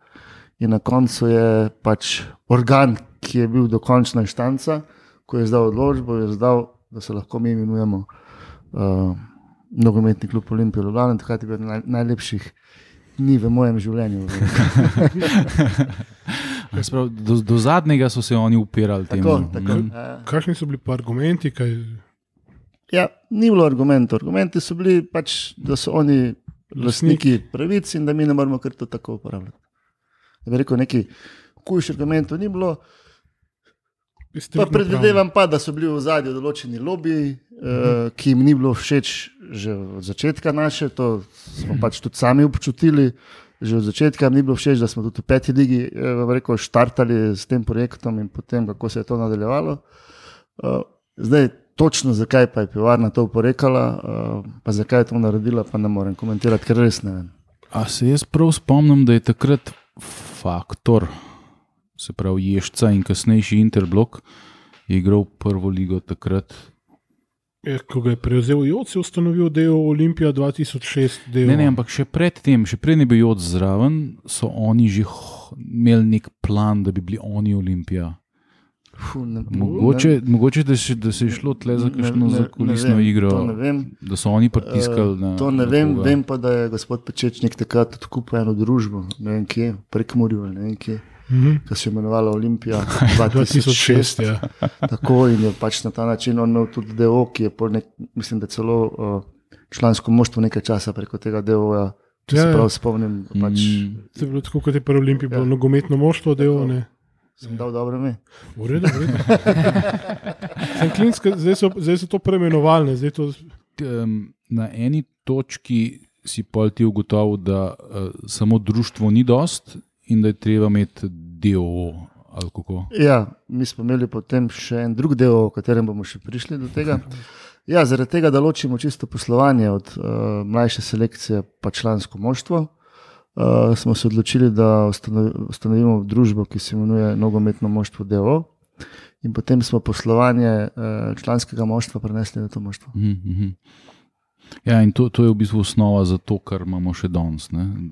In na koncu je pač organ, ki je bil dokončna inštanca, ko je izdal odločbo, je izdal, da se lahko mi imenujemo uh, nogometni klub Olimpija Ljubljana. Takrat je bil naj, najlepših dni v mojem življenju. A, se pravi, do, do zadnjega so se oni upirali temu. Tako, tako. Mhm. Ja. Kakšni so bili pa argumenti? Kaj... Ja, ni bilo argumentov. Argumenti so bili pač, da so oni lastniki pravic in da mi ne moramo kar to tako uporabljati. Da bi rekel, neki hujših argumentov ni bilo. Pa predvidevam pa, da so bili v zadju določeni lobiji, eh, ki jim ni bilo všeč že od začetka naše, to smo pač tudi sami občutili. Že od začetka jim ni bilo všeč, da smo tudi v peti ligi eh, vam rekel, štartali s tem projektom in potem, kako se je to nadaljevalo. Eh, zdaj, točno zakaj pa je pivovarna to oporekala, eh, pa zakaj je to naredila, pa ne morem komentirati, ker res ne vem. A se jaz prav spomnim, da je takrat Faktor, se pravi Ježca in kasnejši Interblok, je igral prvo ligo takrat. Je, ko ga je prevzel Joc, je ustanovil del Olimpija dva tisoč šest. Del. Ne, ne, ampak še pred tem, še pred ne bi Joc zraven, so oni že h- imeli nek plan, da bi bili oni Olimpija. Fuh, ne, Mogoče, mogoče da, še, da se je šlo tle za kakšno zakulisno igro, To ne vem. da so oni pritiskali na. To ne na vem, koga. vem pa, da je gospod Pečečnik takrat odkupil eno družbo, ne vem kje, prek Murju ali ne vem kje, Mhm. ki se je imenovala Olimpija dva dva tisoč tisoč šest. šest. Ja. Tako in je pač na ta način on imel tudi D O, ki je pol nek, mislim, da celo uh, člansko moštvo nekaj časa preko tega D O-ja, če Ja, se ja. prav spomnim, pač Mm. To je bilo tako, kot je pri Olimpiji bilo Ja. nogometno moštvo, del. Ne. sem dal dobro ime. V redu, v redu. Sem klinska, zdaj, so, zdaj so to preimenovali. Zdaj to, Um, na eni točki si pol ti ugotovil, da uh, samo društvo ni dost in da je treba imeti D O O ali kako. Ja, mi smo imeli potem še en drug del, o katerem bomo še prišli do tega. Ja, zaradi tega, da ločimo čisto poslovanje od uh, mlajše selekcije pa člansko moštvo, uh, smo se odločili, da ustanovi- ustanovimo družbo, ki se imenuje Nogometno moštvo D O O. in potem smo poslovanje članskega moštva prenesli na to moštvo. Mm-hmm. Ja, in to, to je v bistvu osnova za to, kar imamo še danes.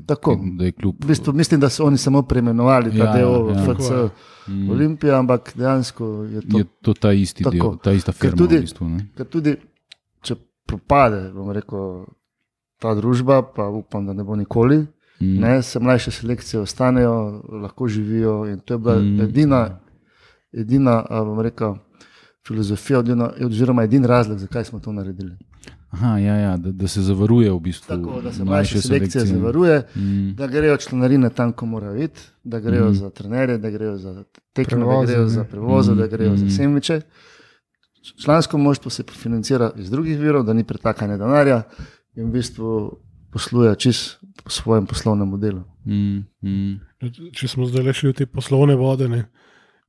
Tako, klub... v bistvu, mislim, da so oni samo preimenovali ta ja, del ja. F C mm. Olimpija, ampak dejansko je to, je to ta isti tako. Del, ta ista firma. Ker tudi, v bistvu, ker tudi če propade, bom rekel, ta družba, pa upam, da ne bo nikoli, mm. ne, se mlajše selekcije ostanejo, lahko živijo in to je bila mm. edina, edina, bom rekel, filozofija, oziroma edin razlog, zakaj smo to naredili. Aha, ja, ja, da, da se zavaruje v bistvu. Tako, da se mlajše selekcije zavaruje, mm. da grejo članarine tam, ko morajo iti, da grejo mm. za trenerje, da grejo za tekme, da grejo za prevoze, mm. da grejo mm. za sendviče. Člansko moštvo se financira iz drugih virov, da ni pretakanja denarja in v bistvu posluje čist po svojem poslovnem modelu. Mm. Mm. Če smo zdaj le še v te poslovne vode, ne.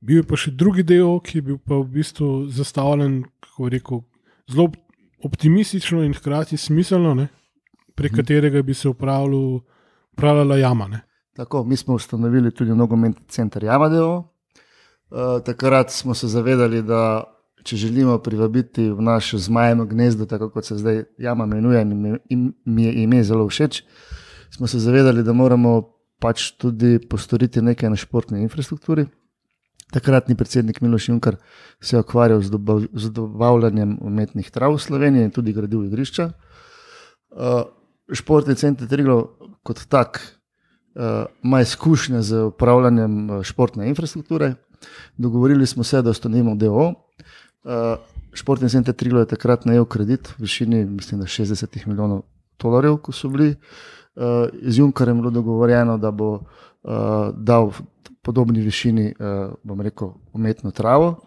Bil je pa še drugi del, ki je bil pa v bistvu zastavljen, kako rekel, zelo optimistično in hkrati smiselno, ne, prek hmm. katerega bi se upravljala Jama. Ne. Tako, mi smo ustanovili tudi nogometni center Jama D O O. Uh, takrat smo se zavedali, da če želimo privabiti v naše zmajeno gnezdo, tako kot se zdaj Jama imenuje in mi je ime zelo všeč, smo se zavedali, da moramo pač tudi postoriti nekaj na športni infrastrukturi. Takratni predsednik Miloš Junkar se je ukvarjal z, dobav, z dobavljanjem umetnih trav v Sloveniji in tudi gradil igrišča. Uh, športni center Triglav kot tak uh, ima izkušnje z upravljanjem športne infrastrukture. Dogovorili smo se, da ustanovimo D O O. Uh, športni center Triglav je takrat najel kredit v višini, mislim, da šestdeset milijonov dolarjev, ko so bili. Uh, z Junkarjem je bilo dogovorjeno, da bo uh, dal podobni višini, uh, bom rekel, umetno travo.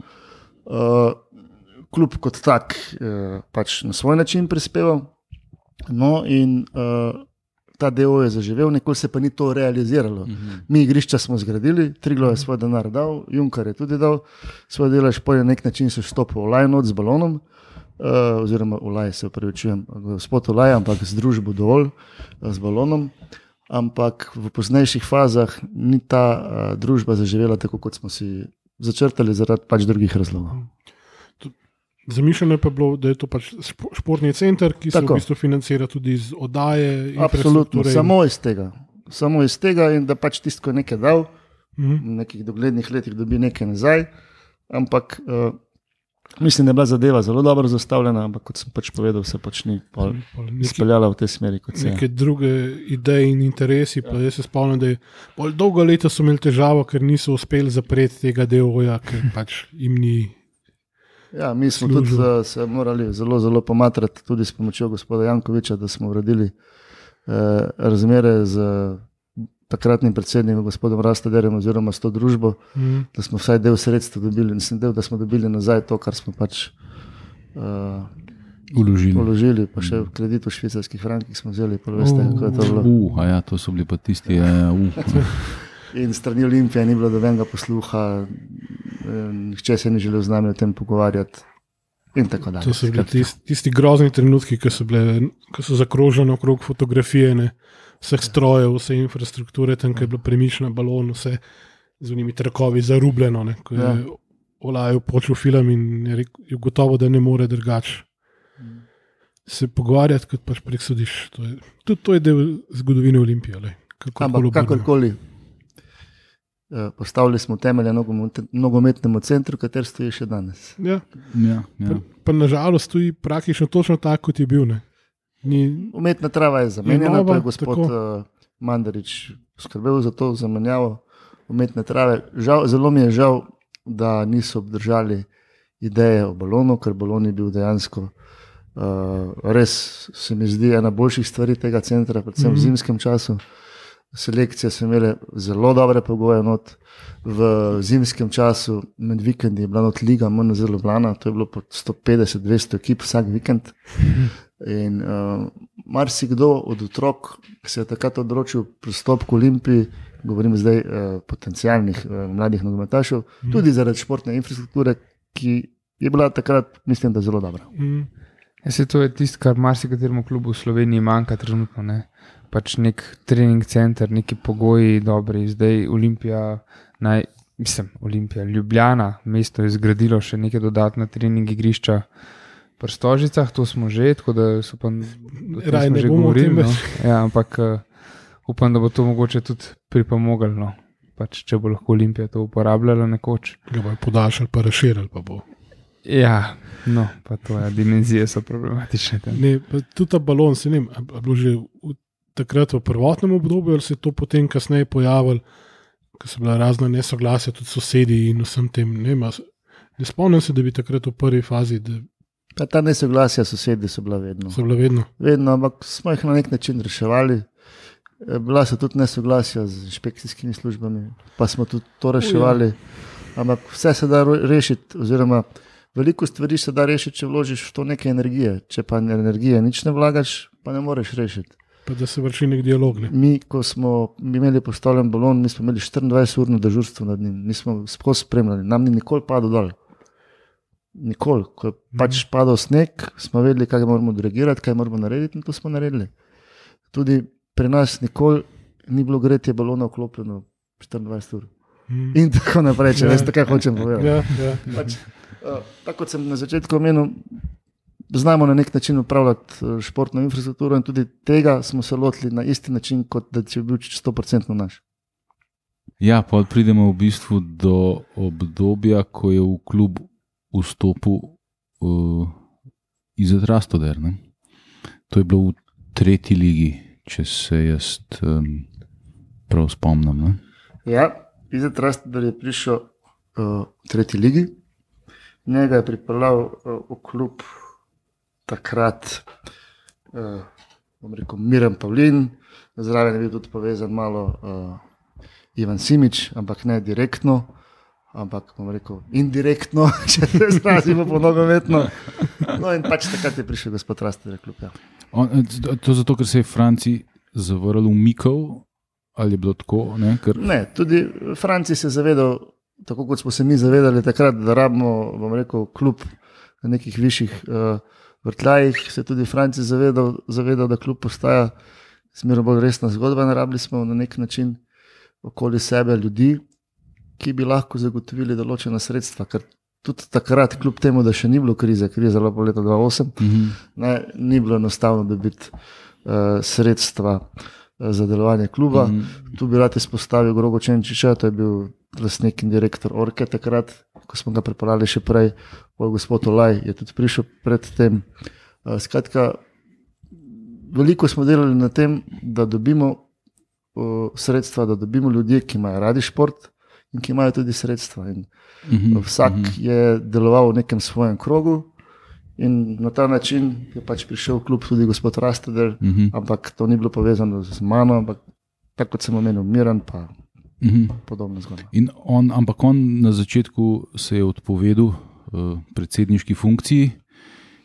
Uh, klub kot tak uh, pač na svoj način prispeval. No in uh, ta D O O je zaživel, nikoli se pa ni to realiziralo. Uh-huh. Mi igrišča smo zgradili, Triglav je svoj denar dal, Junkar je tudi dal svoj delež, po nek način se vstopil v Olaj not z balonom, uh, oziroma Olaj se upravičujem, gospod Olaj, ampak z družbo dovolj uh, z balonom. Ampak v poznejših fazah ni ta uh, družba zaživela tako, kot smo si začrtali, zaradi pač drugih razlogov. Zamišljeno je pa bilo, da je to pač športni center, ki tako se v bistvu financira tudi iz oddaje. Absolutno, samo iz tega. Samo iz tega in da pač tisto, ko je nekaj dal, mm-hmm. v nekih doglednih letih dobi nekaj nazaj. Ampak uh, mislim, da je bila zadeva zelo dobro zastavljena, ampak kot sem pač povedal, se pač ni izpeljala v tej smeri, kot se je. Neke druge ideje in interesi, pa ja. Jaz se spomnim, da je bolj dolgo leta so imeli težavo, ker niso uspeli zapreti tega D O O-ja, ker pač jim ni. Ja, mi smo služil. Tudi uh, se morali zelo, zelo pomatrati, tudi s pomočjo gospoda Jankoviča, da smo uredili uh, razmere z takratnim predsednikom, gospodom Rastaderjem, oziroma s to družbo, mm. da smo vsaj del sredstva dobili, nisem del, da smo dobili nazaj to, kar smo pač uh, uložili. uložili, pa še v kredit v švicarskih frankih smo vzeli, pa veste, uh, kako je to bilo. Uh, a ja, to so bili pa tisti, ja, uh. In strani Olimpije ni bilo dobenega posluha, nihče se ni želel z nami o tem pogovarjati in tako dalje. To so bili tisti, tisti grozni trenutki, ki so, bile, ki so zakrožene okrog fotografije, ne? Vseh strojev, vse infrastrukture, tam, ki je bilo premišljeno balon, vse z unimi trakovi zarubljeno, ne? Ko je ja. Olaj počel film in je, rekel, je gotovo, da ne more drugače se pogovarjati, kot pač prek sodiš. To je, tudi to je del zgodovine Olimpije. Le, ampak kakorkoli. Postavili smo temelje nogometnemu centru, kater stoji še danes. Ja. Ja, ja. Pa, pa nažalost stoji praktično točno tako, kot je bil. Ne? Ni... Umetna trava je zamenjena, to je gospod tako. Mandarič skrbel za to zamenjavo umetne trave. Žal, zelo mi je žal, da niso obdržali ideje o balonu, ker balon je bil dejansko uh, res, se mi zdi, ena boljših stvari tega centra, predvsem mm-hmm. v zimskem času. Selekcije so imele zelo dobre pogoje not. V zimskem času med vikendi je bila not liga M N Z Ljubljana, to je bilo po sto petdeset do dvesto ekip vsak vikend. In uh, marsikdo od otrok se je takrat odločil pristop k Olimpiji, govorim zdaj uh, potencialnih uh, mladih nogometašev, mm. tudi zaradi športne infrastrukture, ki je bila takrat, mislim, da zelo dobra. Mm. Ja, se to je tisto, kar marsikateremu klubu v Sloveniji manjka trenutno, ne? Pač nek trening center, neki pogoji dobri. Zdaj Olimpija naj mislim, Olimpija, Ljubljana, mesto je zgradilo še neke dodatne trening igrišča pri Stožicah, to smo že, tako da so pa Raj ne bomo o tem no. več. Ja, ampak uh, upam, da bo to mogoče tudi pripomoglo, no. Pač, če bo lahko Olimpija to uporabljala nekoč. Ga bo podaljšali, pa razširili, pa bo. Ja, no, pa to je, dimenzije so problematične. Ne, pa tudi ta balon, se ne vem, a a bilo že v, takrat v prvotnem obdobju, ali se je to potem kasneje pojavilo, ko so bila razna nesoglasja, tudi sosedi in vsem tem, ne vem, a s- ne spomnim se, da bi takrat v prvi fazi, da Pa ta nesoglasja sosedi so bila vedno. so bila vedno. Vedno, ampak smo jih na nek način reševali. Eh, Bila so tudi nesoglasja z inšpekcijskimi službami, pa smo tudi to reševali. Ampak vse se da ro- rešiti, oziroma veliko stvari se da rešiti, če vložiš v to nekaj energije. Če pa energije nič ne vlagaš, pa ne moreš rešiti. Pa da se vrši nek dialog. Ne? Mi, ko smo imeli postavljen balon, mi smo imeli štiriindvajseturno dežurstvo nad njim, mi smo skozi spremljali, nam ni nikoli padel dol. Nikoli. Ko je pač padal sneg, smo vedeli, kaj moramo odreagirati, kaj moramo narediti, in to smo naredili. Tudi pri nas nikoli ni bilo gretje balona vklopljeno štiriindvajset ur. Mm. In tako naprej, če Ja. veste, kaj hočem povedati. Ja, ja. Pač, uh, tako kot sem na začetku omenil, znamo na nek način upravljati eh, športno infrastrukturo in tudi tega smo se lotili na isti način, kot da če bi bil sto procentno naš. Ja, pa pridemo v bistvu do obdobja, ko je v klub vstopil uh, Izet Rastoder. Ne? To je bilo v tretji ligi, če se jaz um, prav spomnim. Ne? Ja, Izet Rastoder je prišel uh, v tretji ligi, njega je pripeljal uh, v klub takrat uh, bom rekel, Miran Pavlin, zraven je bil tudi povezan malo uh, Ivan Simič, ampak ne direktno, ampak bom rekel indirektno, če se izrazimo po nogometno. No in pač takrat je prišel gospod Rastoder klub. Ja. On, to zato, ker se je Franci zavrl umikov, ali je bilo tako? Ne, ker, Ne, tudi Franci se je zavedal, tako kot smo se mi zavedali takrat, da rabimo, bom rekel, klub na nekih višjih uh, vrtljajih, se je tudi Franci zavedal, zavedal, da klub postaja smerno bolj resna zgodba. Narabili smo na nek način okoli sebe ljudi, ki bi lahko zagotovili določena sredstva, ker tudi takrat, kljub temu, da še ni bilo krize, kriza je bila po letu dva tisoč osem, mhm. ne, ni bilo enostavno dobiti uh, sredstva uh, za delovanje kluba. Mhm. Tu bi rad izpostavil Grogo Čenčiča, to je bil lastnik in direktor Orke takrat, ko smo ga pripeljali še prej, pol gospod Olaj je tudi prišel pred tem. Uh, skratka, veliko smo delali na tem, da dobimo uh, sredstva, da dobimo ljudi, ki imajo radi šport in ki imajo tudi sredstva. In Mhm. vsak Mhm. je deloval v nekem svojem krogu in na ta način je pač prišel v klub tudi gospod Rastoder, Mhm. ampak to ni bilo povezano z mano, ampak tako kot sem omenil, Miran pa Mhm. podobno zgodba. In on, ampak on na začetku se je odpovedal uh, predsedniški funkciji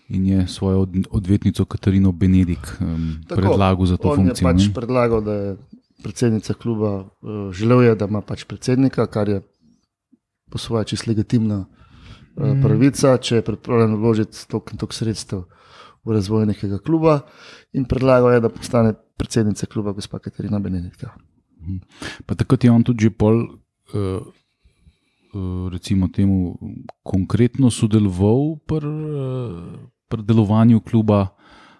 in je svojo od, odvetnico Katarino Benedik um, Tako, predlagal za to On funkcijo. je pač ne? predlagal, da je predsednica kluba, uh, želel je, da ima pač predsednika, kar je po svoje čisto legitimna uh, Mm. pravica, če je pripravljen vložiti toliko in toliko sredstev v razvoj nekega kluba, in predlagal je, da postane predsednica kluba gospa Katarina Benedikta. Pa takrat je on tudi že pol, uh, uh, recimo temu, konkretno sodeloval pri uh, pri delovanju kluba,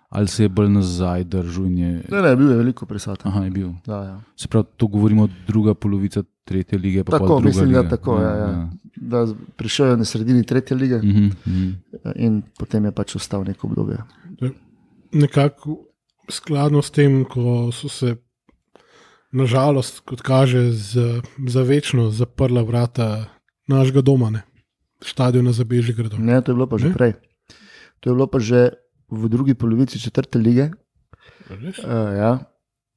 ali se je bolj nazaj držal in je. Ne, ne, bil je veliko prisoten. Aha, je bil. Da, ja. Se pravi, to govorimo druga polovica tretje lige, pa Tako, pol druga mislim, liga. da tako, ja, ja. Da prišel je na sredini tretje lige Mhm, mhm. in potem je pač ostal neko obdobje. Nekako skladno s tem, ko so se nažalost, kot kaže, za, za večno zaprla vrata našega doma, ne? Štadiona za Bežigradu. Ne, to je bilo pa že Ne? prej. To je bilo pa že v drugi polovici četrte lige. Res? Uh, ja.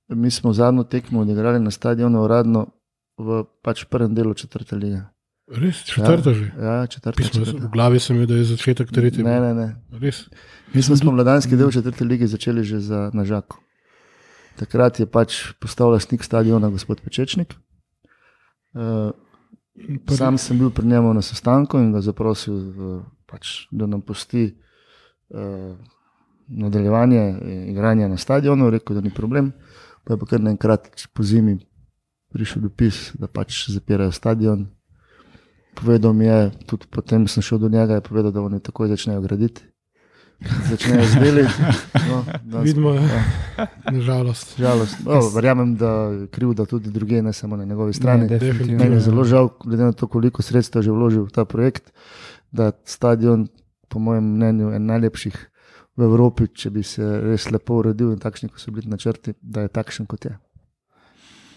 Mi smo zadnjo tekmo odigrali na stadionu uradno v pač prvem delu četrte lige. Res, četrta ja, že. Ja, četrta. Pismo, četrta. v glavi sem imel, da je začetek tretje. Ne, ne, ne. Res. Mi smo spomladanski del četrte lige začeli že za Nažako. Takrat je pač postal lastnik stadiona gospod Pečečnik. Uh, Prvi- sam sem bil pri njemu na sestanku in ga zaprosil, uh, pač, da nam pusti uh, nadaljevanje eh, igranja na stadionu. Rekel, da ni problem. Pa je pa kar naenkrat po zimi prišel dopis, da pač zapirajo stadion povedal mi je, tudi potem sem šel do njega, je povedal, da oni takoj začnejo graditi. Začnejo z deli. No, Vidimo, ja. Nažalost. Žalost. No, verjamem, da je krivda tudi druge, ne samo na njegovi strani. Ne, definitivno. Meni je zelo žal, glede na to, koliko sredstev že vložil v ta projekt, da stadion, po mojem mnenju, je najlepših v Evropi, če bi se res lepo uredil in takšni, ko so bili načrti, da je takšen, kot je.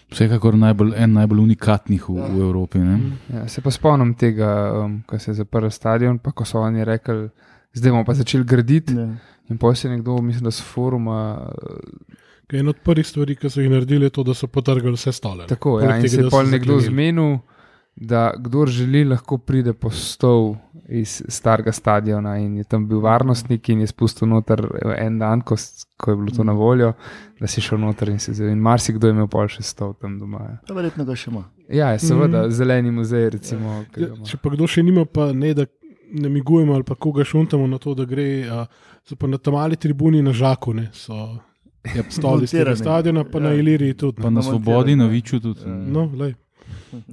Vsekakor najbolj, en najbolj unikatnih v, Ja. v Evropi. Ne? Ja, se pa spomnim tega, um, ko se je zaprl stadion, pa ko so oni rekli, zdaj bomo pa začeli graditi. Ne. In potem se je nekdo, mislim, da s foruma. Kaj en od prvih stvari, ki so jih naredili, je to, da so potrgali vse stole. ne. Tako, Poleg ja, in tega, se da je so pol nekdo zaklenili. zmenil, da kdor želi, lahko pride po stol iz starega stadiona in je tam bil varnostnik in je spustil noter en dan, ko, s- ko je bilo to na voljo, da si šel noter in se zelo. In marsikdo je imel pol še stol tam doma. Ja, To verjetno ga še ima. ja seveda, Mhm. zeleni muzej, recimo. ki ga Ja, ima. če pa kdo še nima, pa ne da namigujemo ali pa koga šuntamo na to, da gre, a, so pa na tam mali tribuni na Žaku, ne, so Ja, stoli z tega montirani. stadiona, pa Ja. na Iliriji tudi. pa ne. na Na Svobodi, montiranje. na Viču tudi. Ja. No, lej.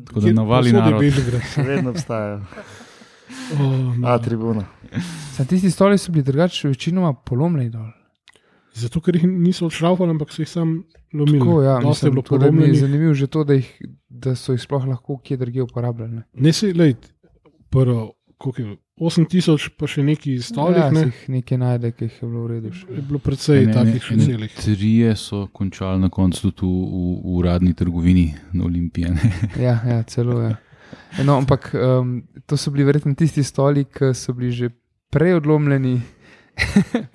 Tako da navali Povsod je narod. Bežigrad. Še vedno obstajajo. Oh, no. A, tribuna. Sam tisti stoli so bili drugače večinoma polomljeni dol. Zato, ker jih niso odšraufali, ampak so jih sam lomili. Tako, ja, Dosti je mislim, bilo tako da mi je polomljenih. zanimivo že to, da, jih, da so jih sploh lahko kje drugje uporabljali. Ne? Ne si, lej, prvo, koliko je bilo? osem tisoč, pa še neki stolih, ja, ne? se jih nekaj najde, ki jih je bilo v redu. še. Je bilo precej Ene- takih ene- še ene celih. Trije so končali na koncu tudi v, v, v uradni trgovini na Olimpiji. ne. Ja, ja, celo je. Ja. No, ampak um, to so bili verjetno tisti stoli, ki so bili že prej odlomljeni,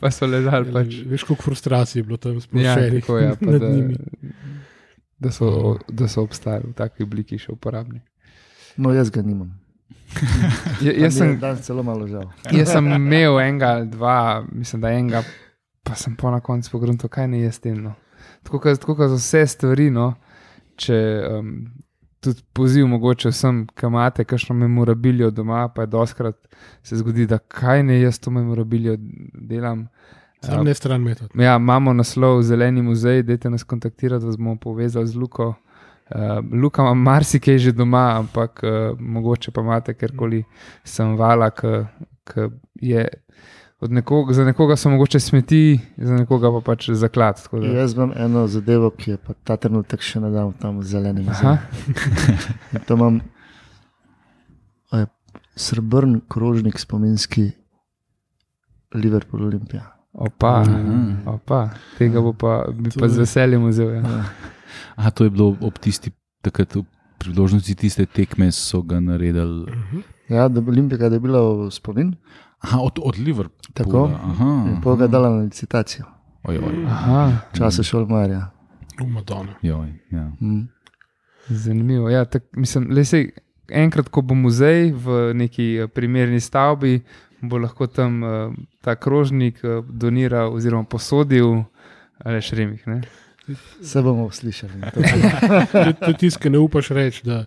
pa so ležali pač. Veš, koliko frustracij je bilo tam Ja, splošenih tako, ja, pa nad da, njimi. da, so, da so obstajali v taki obliki še uporabni. No, jaz ga nimam. Ja, jaz, sem, danes celo malo žal. jaz sem imel enega ali dva, mislim, da enega, pa sem po na koncu pogrunil, kaj ne jaz tem. No. Tako kot za vse stvari, no, če um, tudi poziv mogoče vsem, ki imate kakšno memorabilijo doma, pa je doskrat se zgodi, da kaj ne jaz to memorabilijo delam. Sam ne stran metod. Ja, imamo naslov Zeleni muzej, dajte nas kontaktirati, vas bomo povezali z Luko. Uh, Luka ima marsikaj že doma, ampak uh, mogoče pa imate kjerkoli sem vala, ki je od nekoga, za nekoga so mogoče smeti, za nekoga pa pač zaklad. tako da- Jaz imam eno zadevo, ki je pa ta trenutek še ne dam tam v zelenem Aha, muzeju. In to imam a je srebrn krožnik spominski Liverpool Olimpija. opa, Aha. opa, tega bo pa, bi To pa je- z veseljem vzel. Ja. Aha, to je bilo ob tisti, takrat v priložnosti tiste tekme so ga naredili. Ja, da bi Olimpija dobila v spomin, Aha, od, od Liverpoola. tako, Aha, in pol ga dala na licitacijo. Oj, oj, Aha, Časa Šolmarja. V Madonna. joj, ja. Mm. zanimivo. Ja, tak, mislim, le sej, enkrat, ko bo muzej v neki eh, primerni stavbi, bo lahko tam uh, ta krožnik uh, doniral oziroma posodil ali šremih. Ne? Se bomo slišali. To je- to je tisto, ki ne upaš reči, da,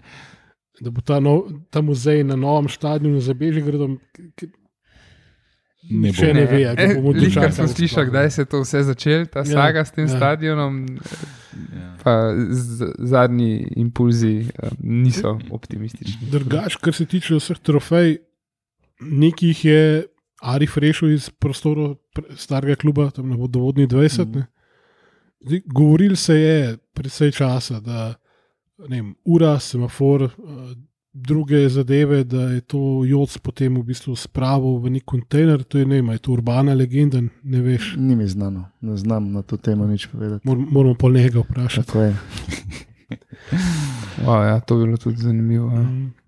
da bo ta, nov, ta muzej na novem stadionu za Bežigradom. Ne Nihče bo. ne ve, kako bomo Lih, kar dočakali. sem slišal, kdaj se je to vse začelo, ta Ja, saga s tem ja. stadionom, Ja. pa z, zadnji impulzi uh, niso optimistični. Drugač, kar se tiče vseh trofej, nekih je Arif rešil iz prostorov pre- starega kluba, tam na vodovodni dvajset. Mhm. Ne. Zdaj, govoril se je predvsej časa, da ne vem, ura, semafor, eh, druge zadeve, da je to Joc potem v bistvu spravil v nek kontejner. To je, ne vem, a je to urbana legenda, ne veš. Ni mi znano, ne znam na to temo nič povedati. Mor, moramo pol njega vprašati. Tako je. O, ja, to bi bilo tudi zanimivo. Ja,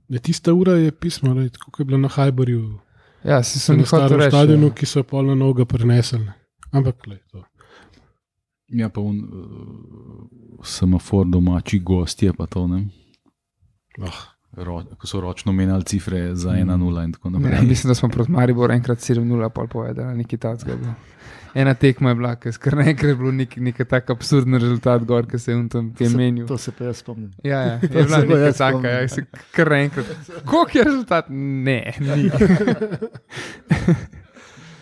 Ne, tista ura je pismo, lej, tako kot je bila na Hajbarju, ja si sem na jih hotel starem reči. stadionu, ja. ki so jo pol na noga prenesli. ne. Ampak, lej, to. Ja, pa un, uh, semafor domači gostje, pa to ne. Ah. Ro, ko so ročno menjali cifre za ena nula in tako Ja, naprej. mislim, da smo proti Mariboru enkrat sedem nula pol povedali, nekaj takega. Ena tekma je bila, ker kar naenkrat je bilo nek, nek tak absurden rezultat gor, ki se je on tam je menil. To se pa jaz spomnim. Ja, ja, je To bila se pa neka jaz taka, spomnim. ja, se kar naenkrat. Koliko je rezultat? Ne, ni.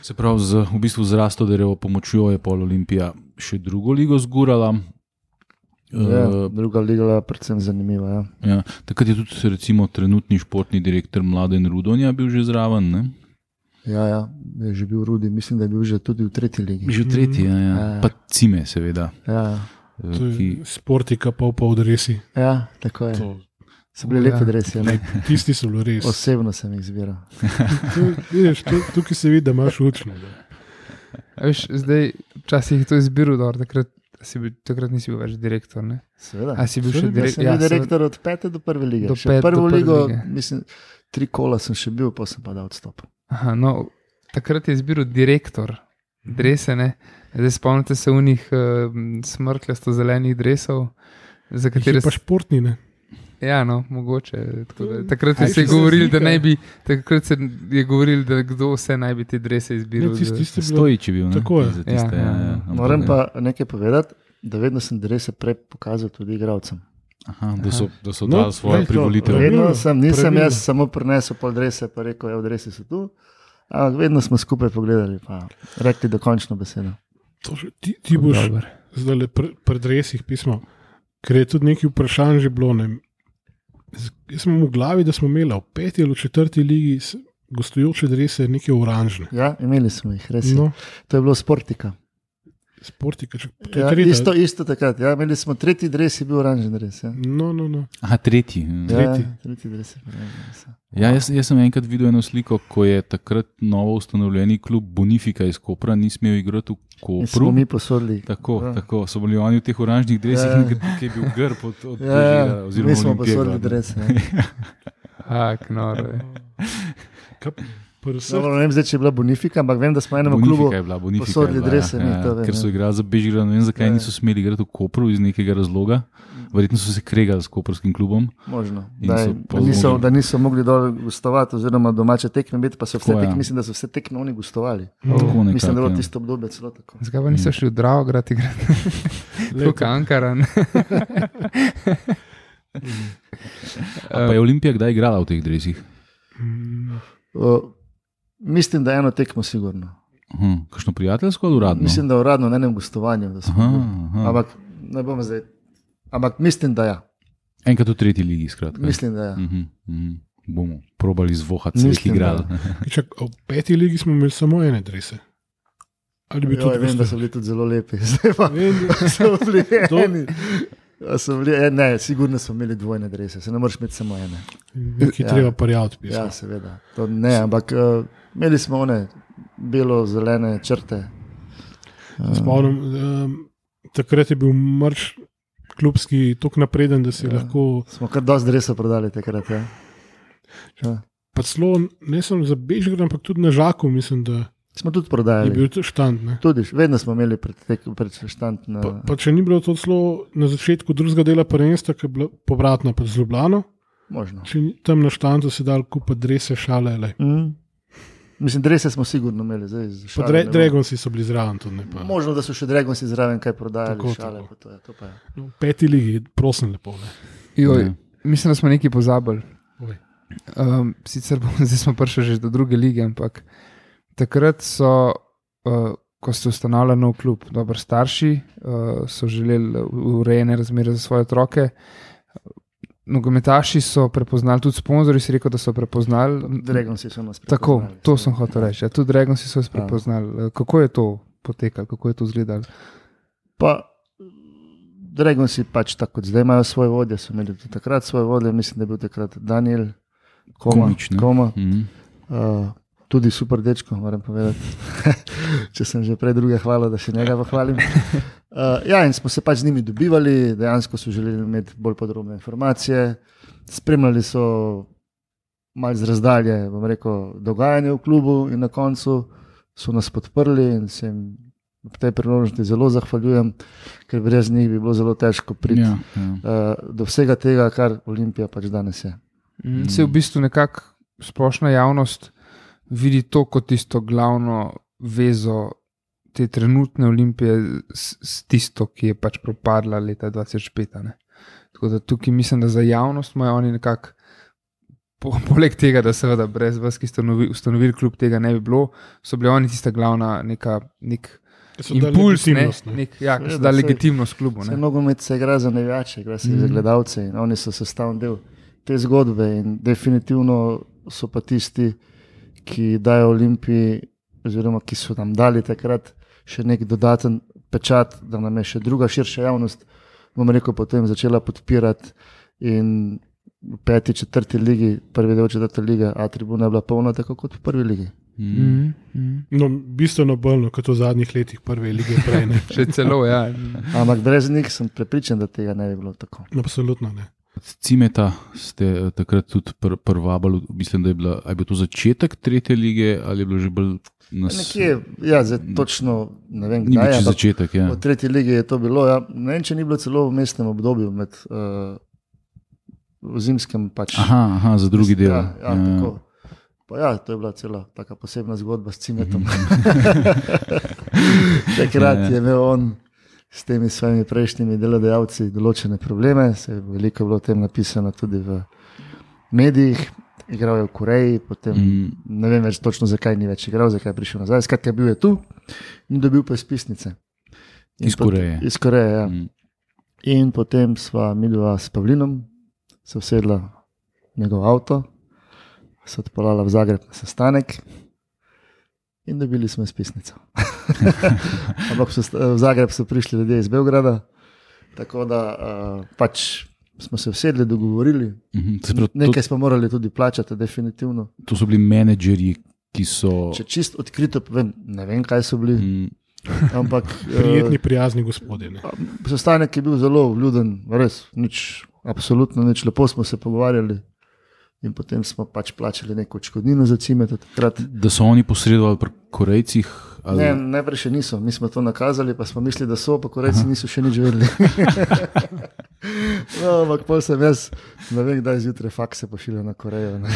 Se pravi, z, v bistvu z Rastoderjevo pomočjo je pol Olimpija še drugo ligo zgurala. Ja, Uh, druga liga je predvsem zanimiva. Ja. ja. Takrat je tudi recimo trenutni športni direktor Mladen Rudonja bil že zraven. Ne? Ja, ja, je že bil Rudi, mislim, da je bil že tudi v tretji ligi. Že v tretji, ja, ja. Ja. Pa Cime, seveda. Ja, eh, To Ki, je Sportika, pa v podresi. ja tako je. To- So bili Ja. lepi dresi, ne? Tisti so bili res. Osebno sem jih izbiral. Tu- Vidiš, tu- tukaj se vidi, da imaš učno. da. A Veš, zdaj, včasih je to izbiral, da takrat, si bil, takrat nisi bil več direktor. Ne? Seveda. A si bil Seveda, še Ja, direkt, sem bil direktor od pete do prve lige. Do Še pet- do prvo prve ligo, lige. mislim, tri kola sem še bil, pa sem pa dal odstop. Aha, no, takrat je izbiral direktor dresene. Zdaj spomnite se unih uh, smrkljasto zelenih dresov, za Jih katere je pa športni, ne? Ja, no, mogoče. Tako da, takrat Aj, se je če se govorilo, da slika- naj bi, takrat se je govorilo, da kdo vse naj bi te drese Ne, izbiral. tisti, za- tisti je bilo- Stojič je bil. Ne? Tako je. Za tiste, Ja, ja, ja, ja, ja. ampak- Moram pa nekaj povedati, da vedno sem drese prej pokazal tudi igralcem. Aha, da so, da so No, dali svojo glej, to- privolitev. Pravilno, Vedno sem, nisem pravilno. jaz samo prinesel pol drese, pa rekel, da dresi so tu. Ampak vedno smo skupaj pogledali, pa rekli dokončno besedo. To že- Ti, ti boš Dober. zdaj le pred, pred resih pismo, ker je tudi nekaj vprašanj že bilo. Ne. Z- Jaz sem v glavi, da smo imeli v peti ali v četrti ligi s- gostujoče drese, neke oranžne. Ja, imeli smo jih, res. No. No, To je bilo Sportika. Sportika, če, to je Ja, tretja. isto, isto takrat. Ja, imeli smo tretji dres, je bil oranžen dres. Ja. No, no, no. Aha, tretji. Ja, Tretji. tretji dres je bil oranžen dres. ja. Ja, jaz, jaz sem enkrat videl eno sliko, ko je takrat novo ustanovljeni klub Bonifika iz Kopra ni smel igrati v In smo Kopru. mi posodili. Tako, Ja. tako so bili oni v teh oranžnih dresih, Ja. ja. ki je bil grb od, od Ja, ja, Požira, oziroma mi smo Olimpije posodili glavno. dres. Ja. Ak, noro je. Kaj, pri vseh, Dobro, ne vem, zdaj, če je bila Bonifika, ampak vem, da smo enemu Bonifika klubu. je bila, Bonifika je posodili bila, drese, ja, mi ja, to vem, ker so ja. igrali za Bežigrad, ne vem zakaj Ja. niso smeli igrati v Kopru iz nekega razloga. Verjetno so se kregali s koprskim klubom. Možno, In da, so je, pol da, niso, zmogli. da niso mogli dol gostovati, oziroma domače tekme biti, pa so vse Tako, ja. tekme, mislim, da so vse tekme oni gostovali. no, Tako nekako, Mislim, da je bilo ja. tisto obdobje celo tako. Zakaj pa niso šli v Dravograd igrati? Lej, Kot Ankaran. A pa je Olimpija kdaj igrala v teh dresih? mm, Uh, mislim, da eno tekmo sigurno. Aha, kakšno prijateljsko ali uradno? Mislim, da uradno na enem gostovanju. da smo Aha, bili. aha. Ampak ne bom zdaj. Ampak mislim, da ja. Enkrat v tretji ligi, skratka. Mislim, da ja. Mhm, mhm. Bomo probali zvohati, Mislim, vse igral. čak, v peti ligi smo imeli samo ene drese. Ali bi Joj, tudi vem, da so bili tudi zelo lepi. Zdaj pa Vem, da- so bili To- eni. A so bili, eh, ne, sigurno smo imeli dvojne drese, se ne moreš imeti samo ene. Nekaj Ja. treba parjavati. Ja, seveda. To ne, ampak uh, imeli smo one belo-zelene črte. Uh, Spomnim, um, takrat je bil mrč klubski tako napreden, da si Ja. ja. lahko. smo kar dosti dresa prodali takrat. Ja. Ja. Pa celo ne samo za Bežigrad, ampak tudi na Žaku, mislim, da Smo tudi je prodajali. bil to štand. Ne. Tudi, vedno smo imeli pred, tek- pred štand. Na, Pa, pa če ni bilo to celo na začetku drugega dela prvenstva, ki je bila povratna pa z Ljubljano, možno. če ni tam na štandu se dal kupiti drese, šale. Le. Mm. Mislim, drese smo sigurno imeli. Zdaj, z Pa šale dre, ne bom- Dragonsi so bili zraven. Tudi, ne, pa. Možno, da so še Dragonsi zraven kaj prodajali. Tako, šale, tako. pa to je, to pa je. No, v peti ligi, prosim, lepo. Ne. Joj, Ja. mislim, da smo nekaj pozabili. Oj. Um, sicer bomo, zdaj smo prišli že do druge lige, ampak takrat so, uh, ko ste ustanavljali nov klub, dobro starši uh, so želeli urejene razmere za svoje otroke. Nogometaši so prepoznali, tudi sponzorji si rekel, da so prepoznali. Dragonsi so nas Tako, prepoznali. to sem hotel reči. Ja, tudi Dragonsi so nas prepoznali. Kako je to potekalo, kako je to izgledalo? Pa, Dragonsi pač tako kot zdaj imajo svoje vodje, so imeli tudi takrat svoje vodje, mislim, da je bil takrat Daniel Koma. Komič, ne? Koma. Mhm. Uh, tudi super dečko, moram povedati. Če sem že prej druge hvalil, da še njega pohvalim. Uh, ja, in smo se pač z njimi dobivali, dejansko so želeli imeti bolj podrobne informacije. Spremljali so malce z razdalje, bom rekel, dogajanje v klubu in na koncu so nas podprli in se jim ob tej priložnosti zelo zahvaljujem, ker brez njih bi bilo zelo težko priti Ja, ja. uh, do vsega tega, kar Olimpija pač danes je. Mm. Se v bistvu nekako splošna javnost vidi to kot tisto glavno vezo te trenutne Olimpije s, s tisto, ki je pač propadla leta dva tisoč pet. a ne. Tako da tukaj mislim, da za javnost imajo oni nekako, po, poleg tega, da seveda brez vas, ki ste ustanovili, ustanovili klub, tega ne bi bilo, so bili oni tista glavna neka, nek impuls, ne, legitimnost, ne. nek, ja, Seveda, so da saj- legitimnost klubu. Vse Ne. nogomet se igra za navijače, igra se mm. za gledalce in oni so sestavni del te zgodbe in definitivno so pa tisti, ki dajo Olimpiji, oziroma ki so nam dali takrat še nek dodaten pečat, da nam je še druga širša javnost, bom rekel, potem začela podpirati in v peti, četrti ligi, prvi del četrte lige, A tribuna je bila polna tako kot v prvi ligi. Mm. Mm, mm. No, bistveno bolj kot v zadnjih letih prve lige prej. Ne. Še celo, ja. Ampak brez njih sem prepričan, da tega ne bi bilo tako. Absolutno ne. Cimeta ste eh, takrat tudi pr prvabali, mislim, da je, bila, a je bil to začetek tretje lige ali je bilo že bolj nas... Nekje, ja, zdaj točno ne vem, Ni bil kdaj, čisto ampak začetek, ja. v tretji ligi je to bilo. Ja. Ne vem, če ni bilo celo v mestnem obdobju, med, uh, v zimskem pač. Aha, aha, za drugi del. Ja, ja, tako. Pa ja, to je bila cela taka posebna zgodba s Cimetom. Takrat je imel on s temi svojimi prejšnjimi delodajalci določene probleme, se je veliko bilo o tem napisano tudi v medijih. Igral je v Koreji, potem Mm. ne vem več točno, zakaj ni več igral, zakaj je prišel nazaj. Skratka, bil je tu in dobil pa izpisnice. In Iz pot- Koreje. Iz Koreje, ja. Mm. In potem sva midva s Pavlinom se usedla v njegov avto, se odpeljala v Zagreb na sestanek in dobili smo izpisnico. Ampak so, v Zagreb so prišli ljudje iz Beograda, tako da uh, pač smo se usedli, dogovorili. Mhm. Se pravi, to, Nekaj smo morali tudi plačati, definitivno. to so bili menedžerji, ki so. Če čist odkrito povem, ne vem, kaj so bili, Mm. ampak Prijetni, prijazni gospodje. Ne. uh, sestanek je bil zelo vljuden, res, nič, absolutno nič, lepo smo se pogovarjali. In potem smo pač plačali neko odškodnino za Cimeta takrat. Da so oni posredovali pri Korejcih? Ali... Ne, najprej še niso, mi smo to nakazali, pa smo mislili, da so, pa Korejci niso še nič vedeli. No, ampak pol sem jaz, ne vem, kdaj zjutraj fakse pošiljal na Korejo. Ne.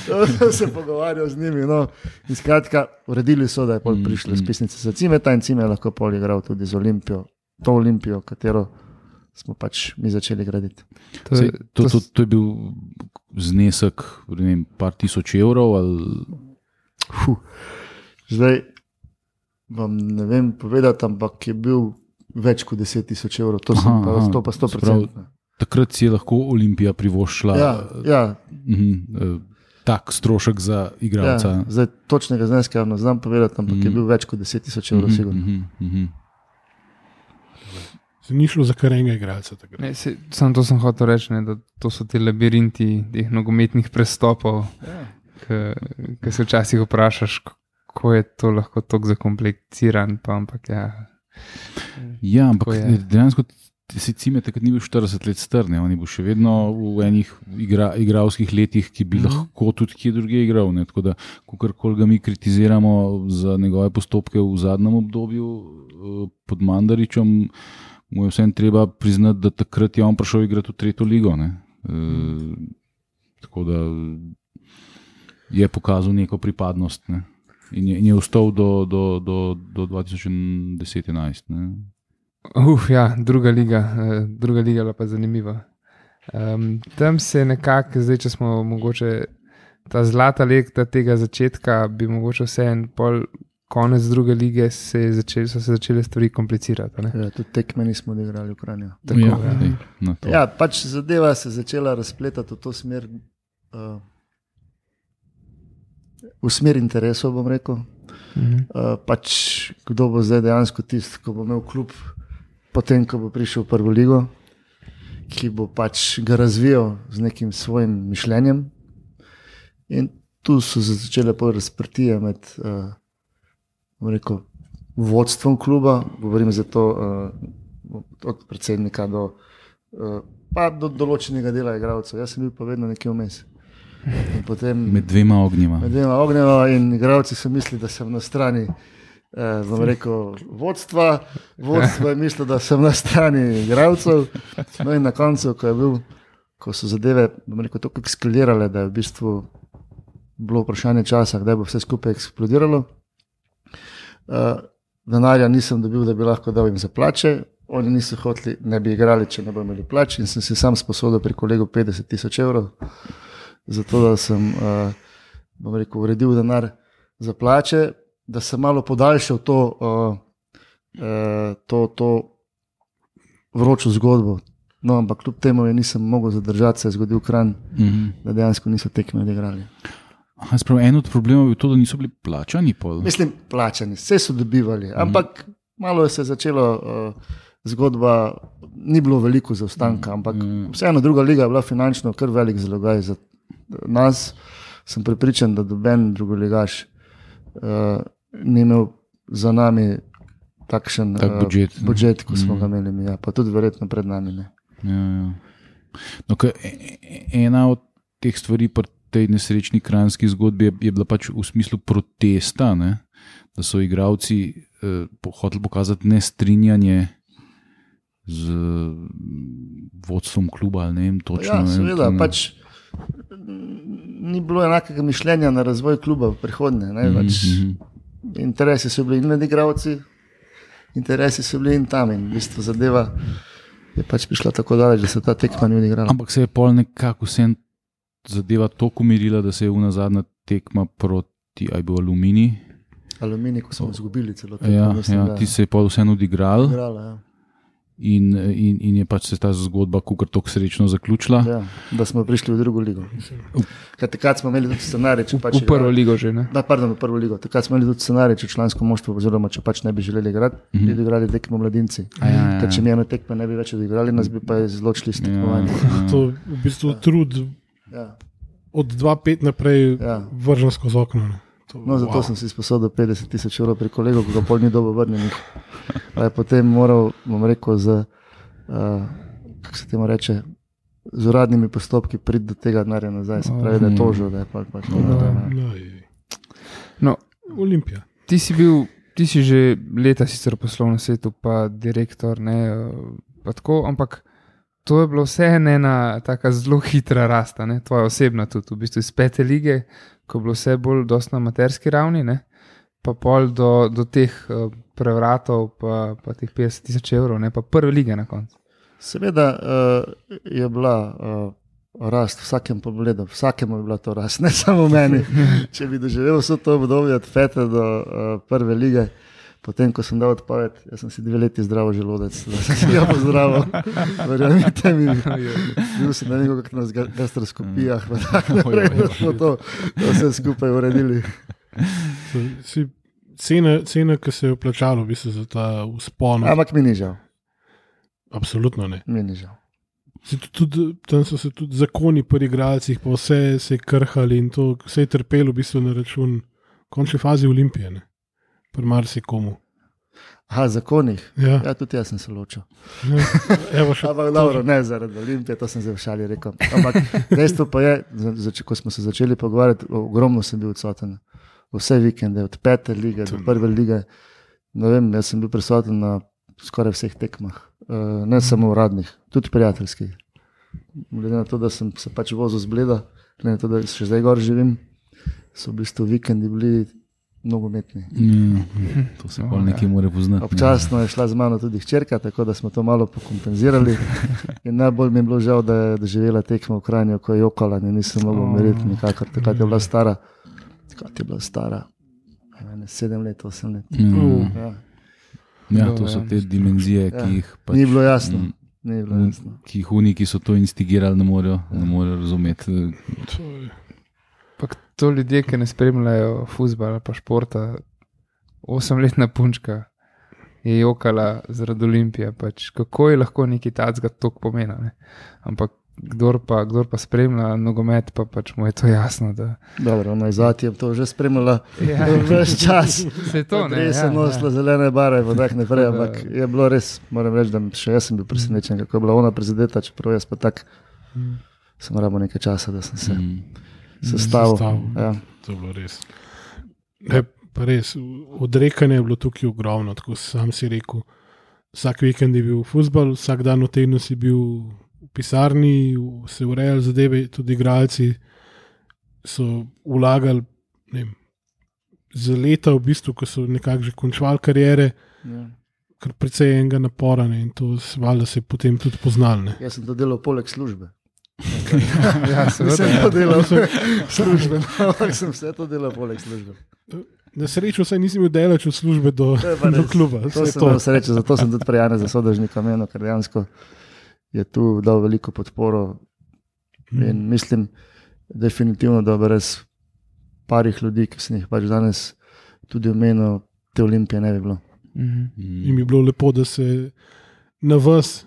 To je, To se pogovarjal z njimi. No. In skratka, uredili so, da je pol Mm, prišla mm. spisnica za Cimeta in Cime je lahko pol igral tudi z Olimpijo, to Olimpijo, katero smo pač mi začeli graditi. to Sej, je, to, to to, to je bil znesek, ne vem, par tisoč evrov. Ali... Fuh. Zdaj vam ne vem povedati, ampak je bil več kot deset tisoč evrov, to, sem Aha, pa, aha. to pa sto Se pravi, procent. Takrat si je lahko Olimpija privoščila Ja, ja, mhm, eh, tak strošek za igralca. ja, zdaj točnega zneska ne znam povedati, ampak Mhm. je bil več kot deset tisoč evrov, Mhm, sigurno. mhm, mhm. Se ni šlo za kar enega igralca. takrat. ne, se, sam to sem hotel reči, ne, da to so ti labirinti teh nogometnih prestopov, Ja. ki se včasih vprašaš, kako je to lahko tako zakompliciran, pa ampak ja. Ja, ampak Tako je. dejansko si Cime takrat ni bil štirideset let star, ne? On je bil še vedno v enih igra, igralskih letih, ki bi Mhm. lahko tudi kje drugje igral. Ne? Tako da, kakorkoli ga mi kritiziramo za njegove postopke v zadnjem obdobju eh, pod Mandaričem, mu je vseeno treba priznati, da takrat je on prišel igrati v tretjo ligo. Ne? E, tako da je pokazal neko pripadnost, ne? In je, in je ostal do, do, do, do dva tisoč deset enajst. Uf, ja, druga liga, eh, druga liga je bila pa zanimiva. Um, tam se je nekako, zdaj če smo mogoče ta zlata leta tega začetka, bi mogoče vse en pol konec druge lige se je začel, so se začele stvari komplicirati. Ne? Ja, tudi tekme nismo odigrali v Kranju. Tako, ja, ja. dej, na to. Ja, pač zadeva se je začela razpletati v to smer, uh, v smer interesov, bom rekel. Mhm. Uh, pač kdo bo zdaj dejansko tisti, ko bo imel klub, potem, ko bo prišel v prvo ligo, ki bo pač ga razvijal z nekim svojim mišljenjem. In tu so se začele pol razprtije med uh, bom rekel, vodstvom kluba, govorim za to uh, od predsednika do, uh, pa do določenega dela igralcev. Jaz sem bil pa vedno nekje vmes. In potem Med dvema ognjima. med dvema ognjeva in igralci so mislili, da sem na strani eh, bom rekel, vodstva, vodstvo je mislilo, da sem na strani igralcev. No in na koncu, ko je bil, ko so zadeve, bom rekel, tako eksplodile, da je v bistvu bilo vprašanje časa, kdaj bo vse skupaj eksplodiralo. Uh, denarja nisem dobil, da bi lahko dal jim za plače, oni niso hoteli, ne bi igrali, če ne bo imeli plač, in sem si sam sposodil pri kolegu petdeset tisoč evrov, zato da sem uh, bom rekel, uredil denar za plače, da sem malo podaljšal to uh, uh, to, to vročo zgodbo. No, ampak kljub temu je nisem mogel zadržati, se je zgodil Kranj, mm-hmm. da dejansko niso tekme odigrali. Aha, sprav, en od problemov je to, da niso bili plačani. Pol. Mislim, plačani, vse so dobivali, mm-hmm. ampak malo je se začelo, uh, zgodba ni bilo veliko zaostanka, ampak mm-hmm. vseeno druga liga je bila finančno kar velik zalogaj za nas. Sem prepričan, da doben drugoligaš uh, ni imel za nami takšen tak budžet, uh, budžet, kot smo mm. ga imeli mi, ja, pa tudi verjetno pred nami. Ne. Ja, ja. No, ena od teh stvari pri tej nesrečni kranjski zgodbi je, je bila pač v smislu protesta, ne? Da so igralci eh, hoteli pokazati nestrinjanje z vodstvom kluba, ali ne vem točno. Ja, seveda, ne, pač ni bilo enakega mišljenja na razvoj kluba v prihodnje. Ne, pač mm-hmm. interesi so bili in med igralci, interesi so bili in tam in v bistvu zadeva je pač prišla tako daleč, da se ta tekma ni odigrala. Ampak se je pol nekako vsem zadeva toliko umirila, da se je una zadnja tekma proti, aj bil Aluminij. Aluminij, ko smo izgubili celo tekmo. Ja, mislim, ja, ti se je pol vsem odigral. Odigrala, ja. In, in, in je pač se ta zgodba kukar tako srečno zaključila. Ja, da smo prišli v drugo ligo. Takrat smo imeli tudi scenarij, če pač v prvo ligo že, ne? Da, pardon, v prvo ligo. Takrat smo imeli tudi scenarij, če člansko moštvo, oziroma če pač ne bi želeli igrati, mm-hmm. bi odigrali tekmo mladinci. Ja, ja, ja. Ker če mi eno tekme ne bi več odigrali, nas bi pa izločili s tekmovanjem. Ja, ja. To je v bistvu ja. trud ja. od dva pet naprej ja. vržen skozi okno. Ne. To, no, zato wow. sem si sposodil petdeset tisoč evrov pri kolegu, ko ga pol ni dobo vrnenih. Pa je potem moral, bom rekel, z, uh, kako se temu reče, z uradnimi postopki priti do tega denarja nazaj. Se pravi, da je tožil, da je pač pač to. No, Olimpija. Ti si bil, ti si že leta sicer v poslovnem svetu, pa direktor, ne, pa tako, ampak to je bilo vse ena taka zelo hitra rasta, ne, tvoja osebna tudi, v bistvu iz pete lige, ko je bilo vse bolj dosti na amaterski ravni, ne, pa pol do, do teh uh, prevratov, pa, pa teh petdeset tisoč evrov, ne, pa prve lige na koncu. Seveda uh, je bila uh, rast v vsakem pogledu, vsakemu je bila to rast, ne samo meni. Če bi doživel vso to obdobje od pete do uh, prve lige, potem, ko sem dal odpoved, jaz sem si dve leti zdravo želodec, da sem si ga pozdravil. Verjamite mi, bil sem na nekaj na gastroskopijah, pa tako naprej, da smo to, to vse skupaj uredili. Si, cena, cena, ki se je vplačalo v bistvu za ta vzpon. Ampak mi ni žal. Absolutno ne. Mi ni žal. Tudi, tam so se tudi zakoni pri igralcih, pa vse se je krhali in to vse je trpelo v bistvu na račun končne fazi Olimpije, ne. Pri marsikomu. Aha, zakonih? Ja. Ja, tudi jaz sem se ločil. Ne, evo še. Ampak dobro, ne zaradi Olimpije, to sem zdaj v šali rekel. Ampak dejstvo pa je, zač- ko smo se začeli pogovarjati, ogromno sem bil odsoten. Vse vikende, od pete lige do prve lige. Ne vem, jaz sem bil prisoten na skoraj vseh tekmah. Ne samo uradnih, tudi prijateljskih. Glede na to, da sem se pač vozil z Bleda, glede na to, da še zdaj gor živim, so v bistvu vikendi bili nogometni. Ja, to se pol nekaj mora poznati. Občasno je šla z mano tudi hčerka, tako da smo to malo pokompenzirali. In najbolj mi je bilo žal, da je doživela tekmo v Kranju, ko je jokala, in nisem mogel umiriti nikakor. Takrat je bila stara, takrat je bila stara, sedem let, osem let. Ja. Ja, to so te dimenzije, ki jih pač, ni bilo jasno. Ni bilo jasno. Ki jih oni, ki so to instigirali, ne morejo, ne morejo razumeti. Pa to ljudje, ki ne spremljajo fuzbala ali pa športa, osemletna punčka je jokala zaradi Olimpije, pač kako je lahko neki tacga toliko pomena, ne? Ampak kdor pa, kdor pa spremlja nogomet, pa pač mu je to jasno, da... Dobro, ona je zati, je to že spremljala ja. ves čas. Se to, ne? Res je nosila ja. zelene bare, pa tak naprej, ampak je bilo res, moram reči, da še jaz sem bil presenečen, kako je bila ona prizadeta, čeprav jaz pa tak mm. sem rabo nekaj časa, da sem se... Mm. Sestavil. Ja. To je bilo res. Ne, pa res. Odrekanje je bilo tukaj ogromno, tako sam si rekel. Vsak vikend je bil fuzbal, vsak dan v tednu si bil v pisarni, se urejali zadeve, tudi igralci so vlagali ne vem, za leta v bistvu, ko so nekako že končvali karijere, ja. kar precej enega napora ne, in to valjda se je potem tudi poznali. Ne. Jaz sem to delal poleg službe. Ja, seveda. Sem to delal službe, ampak sem vse to delal poleg službe. Na srečo saj nisem imel delač od službe do, do kluba. To sem imel srečo, zato sem tudi prijane za sodežnika menil, ker dejansko je tu dal veliko podporo in mm. mislim definitivno, da brez parih ljudi, ki sem jih pač danes tudi omenil, te Olimpije ne bi bilo. Mm-hmm. In bi bilo lepo, da se na vas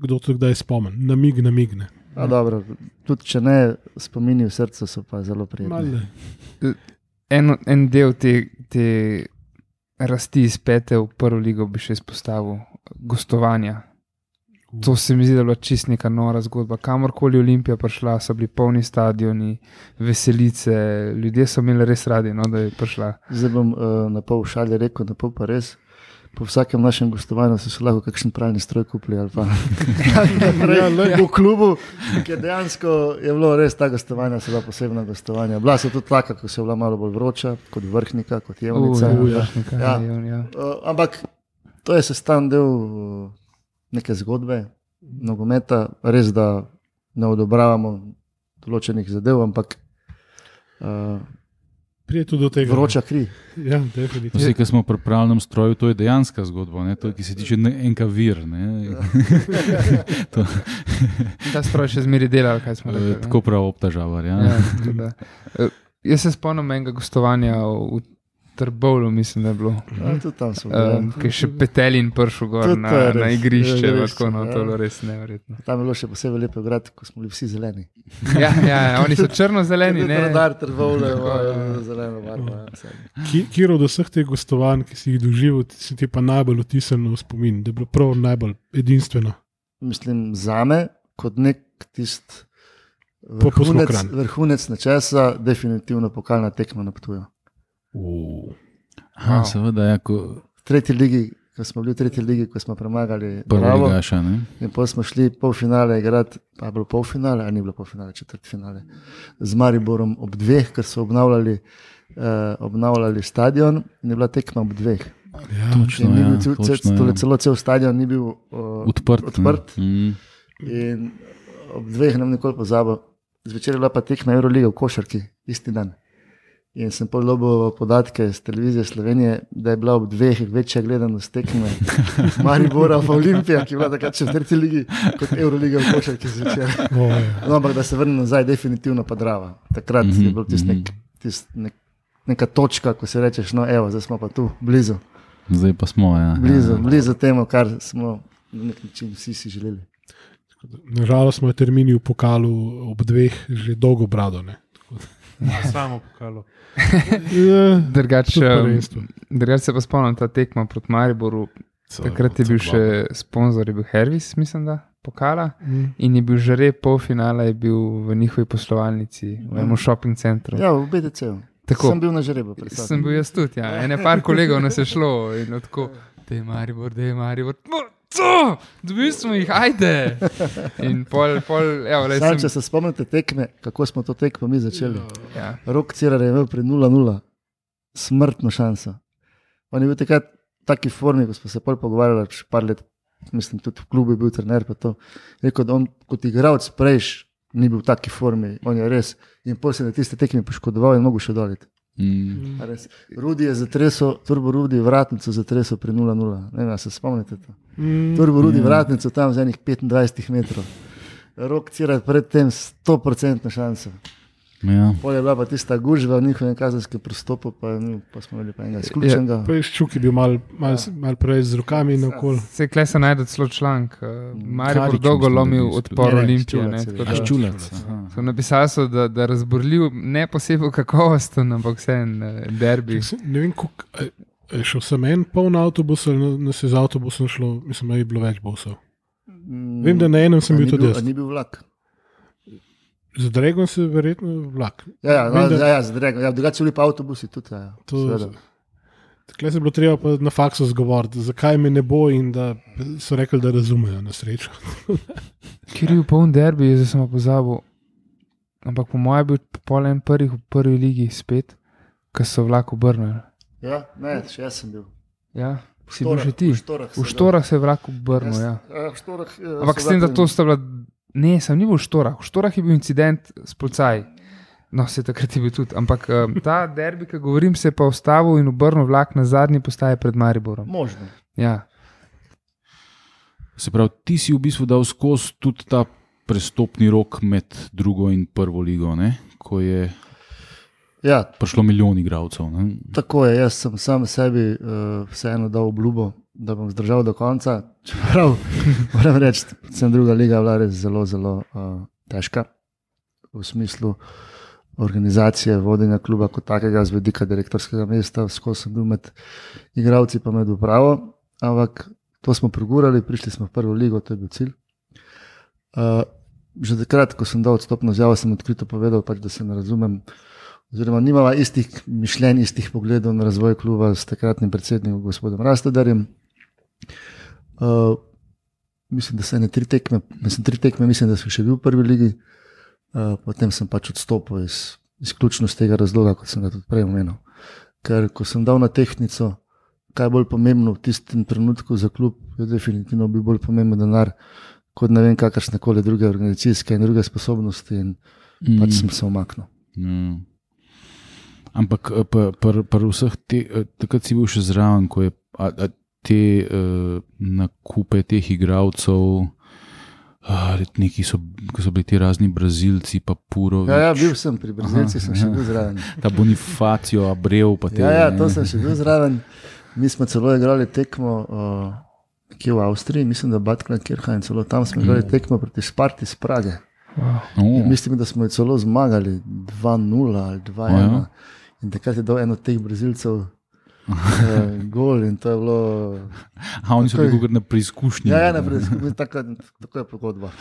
kdo to kdaj spomni, namig, namigne. A dobro, tudi če ne, spomini v srcu so pa zelo prijetni. En, en del te, te rasti iz pete v prvo ligo bi še izpostavil, gostovanja. To se mi zdi, da je bila čist neka nora zgodba. Kamorkoli Olimpija prišla, so bili polni stadioni, veselice, ljudje so imeli res radi, no, da je prišla. Zdaj bom uh, na pol šalje rekel, na pol pa res. Po vsakem našem gostovanju so se lahko kakšen pralni stroj kupili ali pa ja, v klubu, ker dejansko je bilo res ta gostovanja, so bila posebna gostovanja. Bila so tudi taka, ko se je bila malo bolj vroča, kot Vrhnika, kot Jevnica. Uh, ja. Ja. Ja. Uh, ampak to je sestavni del uh, neke zgodbe, nogometa, res da ne odobravamo določenih zadev, ampak uh, prije tudi do tega. Vroča kri. Ja, definitivno. Vsi, ki smo v pripravljenem stroju, to je dejanska zgodba, ne? To je, ki se tiče enka vir. Ne? to... Ta stroj še zmeri dela, kaj smo rekli. Tako prav obtažavar, ja. ja Jaz se spomnim enega gostovanja v Trbovlu, mislim, da je bilo. Ja, tudi tam smo. Um, ki je še Petelin prišel gor na, na igrišče, je tako, no, to je bilo res neverjetno. Tam je bilo še posebej lepo igrati, ko smo bili vsi zeleni. ja, ja, oni so črno-zeleni, ne? Radar, Trbovle, zeleno barvo. Kjer od vseh teh gostovanj, ki si jih doživel, si ti pa najbolj otisnil v spomin, da je bilo prav najbolj edinstveno? Mislim, zame, kot nek tist vrhunec, vrhunec nečesa, definitivno pokalna tekma na Ptuju. Uh. Aha, wow. Seveda, ja, ko... v tretji ligi, ko smo bili v tretji ligi, ko smo premagali Bravo, ligaša, in potem smo šli polfinale igrati, pa je bilo polfinale, a ni bilo polfinale, četrtfinale, z Mariborom ob dveh, ker so obnavljali, uh, obnavljali stadion in je bila tekma ob dveh. Ja, točno, ja, cel, točno, cel, ja. Celo cel stadion ni bil uh, odprt, odprt. Mm. In ob dveh nam nikoli pozabil. Zvečer je bila pa tekma Euroliga v košarki, isti dan. In sem pol dobil podatke z televizije Slovenije, da je bila ob dveh večja gledanost tekme Maribora v Olimpija, ki je bila takrat še v tretji ligi, kot Euroliga v košarki zvečer. Oh, ja. No, ampak da se vrnem nazaj, definitivno pa Drava. Takrat mm-hmm, je bil tist nek, tist nek, neka točka, ko se rečeš, no evo, zdaj smo pa tu, blizu. Zdaj pa smo, ja. Blizu, ja. blizu temu, kar smo na nek način vsi si želeli. Nažalost smo termini v pokalu ob dveh že dolgo brado, ne? Ja, samo pokalo. Drugače drugač se pa spomnim ta tekma proti Mariboru. Takrat je bil še sponzor, je bil Hervis, mislim, da pokala. Mm. In je bil žare polfinala, je bil v njihovi poslovalnici, v enem shopping centru. Ja, v B D C-u. Sem bil na žrebu. Sem bil jaz tudi, ja. Ene par kolegov nas je šlo in tako, da je Maribor, da je Maribor. Co? Dobili smo jih, ajde! In pol, pol, evo, lej, Sam, sem... če se spomnite tekme, kako smo to tekmo mi začeli. Ja. Rok Cirar je imel pri nula nula smrtno šanso. On je bil takrat v taki formi, ko smo se pol pogovarjali, še par let, mislim, tudi v klubu je bil trener, pa to. Rekel, da on kot igralec prejš ni bil v taki formi, on je res. In pol se na tiste tekme poškodoval in mogo še doliti. Mm. Rudi je zatresel, Turbo Rudi vratnico zatresel pri nula nula. Ne vem, se spomnite to. Mm. Turbo Rudi Ja. vratnico tam z enih petindvajset metrov. Rok Cirar pred tem sto procentno šanso. Ja. Pol je bila pa tista gužva v njihovem kazenskem prostopu, pa, pa smo imeli pa enega izključenega. Pa je Ščuk je bil mal, mal, mal prej z rokami naokoli. Se kle se najde celo članek. Uh, Maribor Karič, dolgo mislim, da lomil bi odpor Ne, ne, Olimpije. Ščulac Ne, je tako bil. da- A Ščulac, aha. So napisali so, da, da razborljiv, ne posebej kakovosten, ampak vse en uh, derbi. Ne vem, koliko, a- a je šel sem en poln avtobus ali nas je z avtobusom šlo, mislim, da je bilo več busov. Mm, Vem, da na enem sem a bil ni tudi a jaz. Ni bil vlak. Z Dregom se verjetno vlak. Ja, ja, Vem, no, da- ja, ja, zadrego. Ja, drugače so bili pa avtobusi tudi. Ja, To, seveda. takle se je bilo treba pa na faksu zgovoriti, zakaj me ne bo in da so rekli, da razumejo na srečo. Kjer je bil poln derbi, zdaj sem pa pozabil. Ampak po mojem je bil pol en prvih v prvi ligi spet, ko so vlak obrnili. Ja, ne, še jaz sem bil. Ja, V si bil Štorah- že ti. V Štorah, V Štorah se je vlak obrnil, ja. Ja, v Štorah, ja, Ampak so s tem, da vlaki- to sta bila... Ne, sem ni bil v Štorah. V Štorah je bil incident s policaji. No, se takrat je bil tudi. Ampak um, ta derbi, ki govorim, se je pa ustavil in obrnil vlak na zadnji postaji pred Mariborom. Možno. Ja. Se pravi, ti si v bistvu dal skozi tudi ta prestopni rok med drugo in prvo ligo, ne? Ko je Ja, prišlo milijon igralcev. Ne? tako je. Jaz sem sam sebi uh, vseeno dal obljubo, da bom zdržal do konca. Čeprav moram reči, da druga liga je bila res zelo, zelo uh, težka v smislu organizacije, vodenja kluba kot takega, z vidika direktorskega mesta, skozi sem bil med igralci, pa med upravo. Ampak to smo pregurali, prišli smo v prvo ligo, to je bil cilj. Uh, že takrat, ko sem dal odstopno izjavo, sem odkrito povedal, pač, da se ne razumem. Oziroma, nimava istih mišljenj, istih pogledov na razvoj kluba s takratnim predsednikom, gospodom Rastodarjem. Uh, mislim, da se ne tri tekme, mislim, tri tekme, mislim, da sem še bil v prvi ligi, uh, potem sem pač odstopil iz, izključno z tega razloga, kot sem ga tudi prej omenil. Ker ko sem dal na tehtnico, kaj je bolj pomembno v tistem trenutku za klub, je definitivno bil bolj pomemben denar, kot ne vem, kakršne koli druge organizacijske in druge sposobnosti, in mm. pač sem se umaknil. Mm. Ampak pri vseh teh, takrat si bil še zraven, ko je a, a te uh, nakupe teh igralcev, neki so, ko so bili ti razni Brazilci, pa Purovič. Ja, ja, bil sem pri Brazilcih, sem še bil zraven. Ta Bonifacio, Abreu, pa te. Ja, ja, to sem še bil zraven. Mi smo celo igrali tekmo uh, kje v Avstriji, mislim, da Batklan Kirchheim, celo tam smo igrali tekmo proti Sparti iz Prage. Wow. Oh. Mislim, da smo jo celo zmagali dva nula ali dva ena. Oh, ja. In takrat je dal eno od teh Brazilcev uh, gol in to je bilo... A oni so bili kar na preizkušnji. Ja, ja, na preizkušnji, tako, tako je pogodba.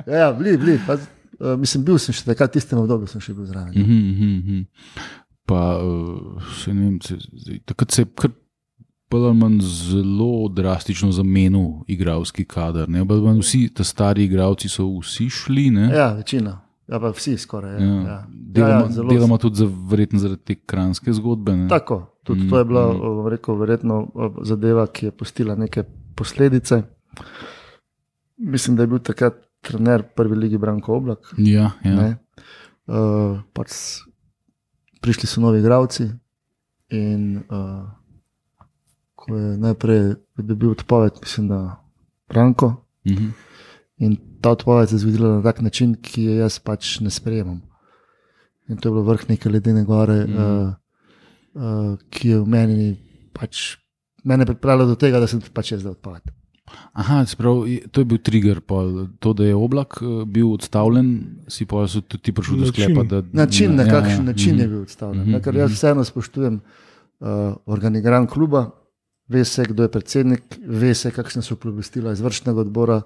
ja, ja, bili, bili. Pa, uh, mislim, bil sem še takrat, tistem obdobju sem še bil zraven. Mm -hmm. Pa, uh, se ne vem, se, takrat se je kar manj zelo drastično zamenil igralski kader. Ne? Vsi ta stari igralci so vsi šli, ne? Ja, večina. Ja, pa vsi skoraj. Ja. Ja. Ja. Deloma, ja, ja, deloma tudi za, verjetno zaradi te kranske zgodbe. Ne? Tako, tudi mm, to je bila mm. rekel, verjetno zadeva, ki je pustila neke posledice. Mislim, da je bil takrat trener prvi ligi Branko Oblak. Ja, ja. Uh, pač prišli so novi igralci in uh, ko je najprej dobil odpoved, mislim, da Branko. Mm -hmm. In ta odpoved se je zgodila na tak način, ki je jaz pač ne sprejemam. In to je bilo vrh neke ledene gore, mm. uh, uh, ki je v meni pač mene pripravila do tega, da sem pač jaz dal odpoved. Aha, sprav, to je bil trigger, pol. To, da je Oblak bil odstavljen, si pa so tudi ti prišli do sklepa. Da, način, na kakšen ja, ja. način mm. je bil odstavljen. Mm -hmm. Ker jaz vseeno spoštujem uh, organigram kluba, ve se, kdo je predsednik, ve se, kakšne so plobistila izvršnega odbora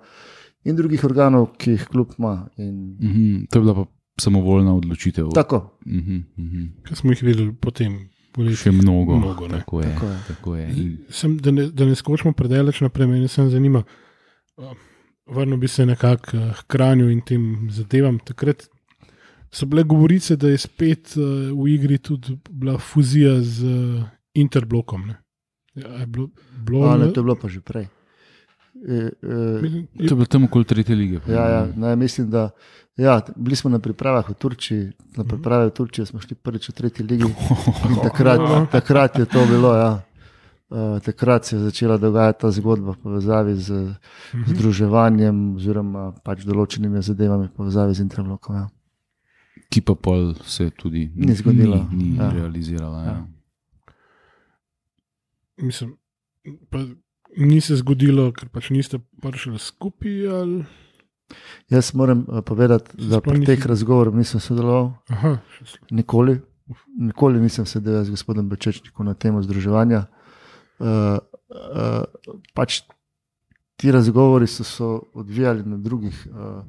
in drugih organov, ki jih klub ima. In... Mm-hmm. To je bila pa samovoljna odločitev. Tako. Mm-hmm. Mm-hmm. Kaj smo jih videli potem? Še mnogo. mnogo tako je. Tako je. Tako je. In... Sem, da, ne, da ne skočimo predaleč naprej, me sem zanima. Vrnil bi se nekako k Kranju in tem zadevam. Takrat so bile govorice, da je spet uh, v igri tudi bila fuzija z uh, Interblokom. Ne? Ja, je bilo, bilo, A, ne, to je bilo pa že prej. E, e, to je bilo tam okoli tretje lige. Ja, ja, ne, mislim, da ja, bili smo na pripravah v Turčiji, na priprave v Turčiji smo šli prvič v tretji ligi in takrat, takrat je to bilo, ja. Uh, takrat se je začela dogajati ta zgodba v povezavi z združevanjem oziroma pač določenimi zadevami v povezavi z Interblokom. Ja. Ki pa pol se tudi ni zgodila. Ni, ni ja. realizirala. Ja. Ja. Mislim, pa ni se zgodilo, ker pač niste prišli skupaj. Ali... Jaz moram uh, povedati, da pri teh razgovorih nisem sodeloval. Aha, nikoli. Nikoli nisem sedel z gospodom Bečečnikom na temo združevanja. Uh, uh, pač ti razgovori so se odvijali na drugih uh,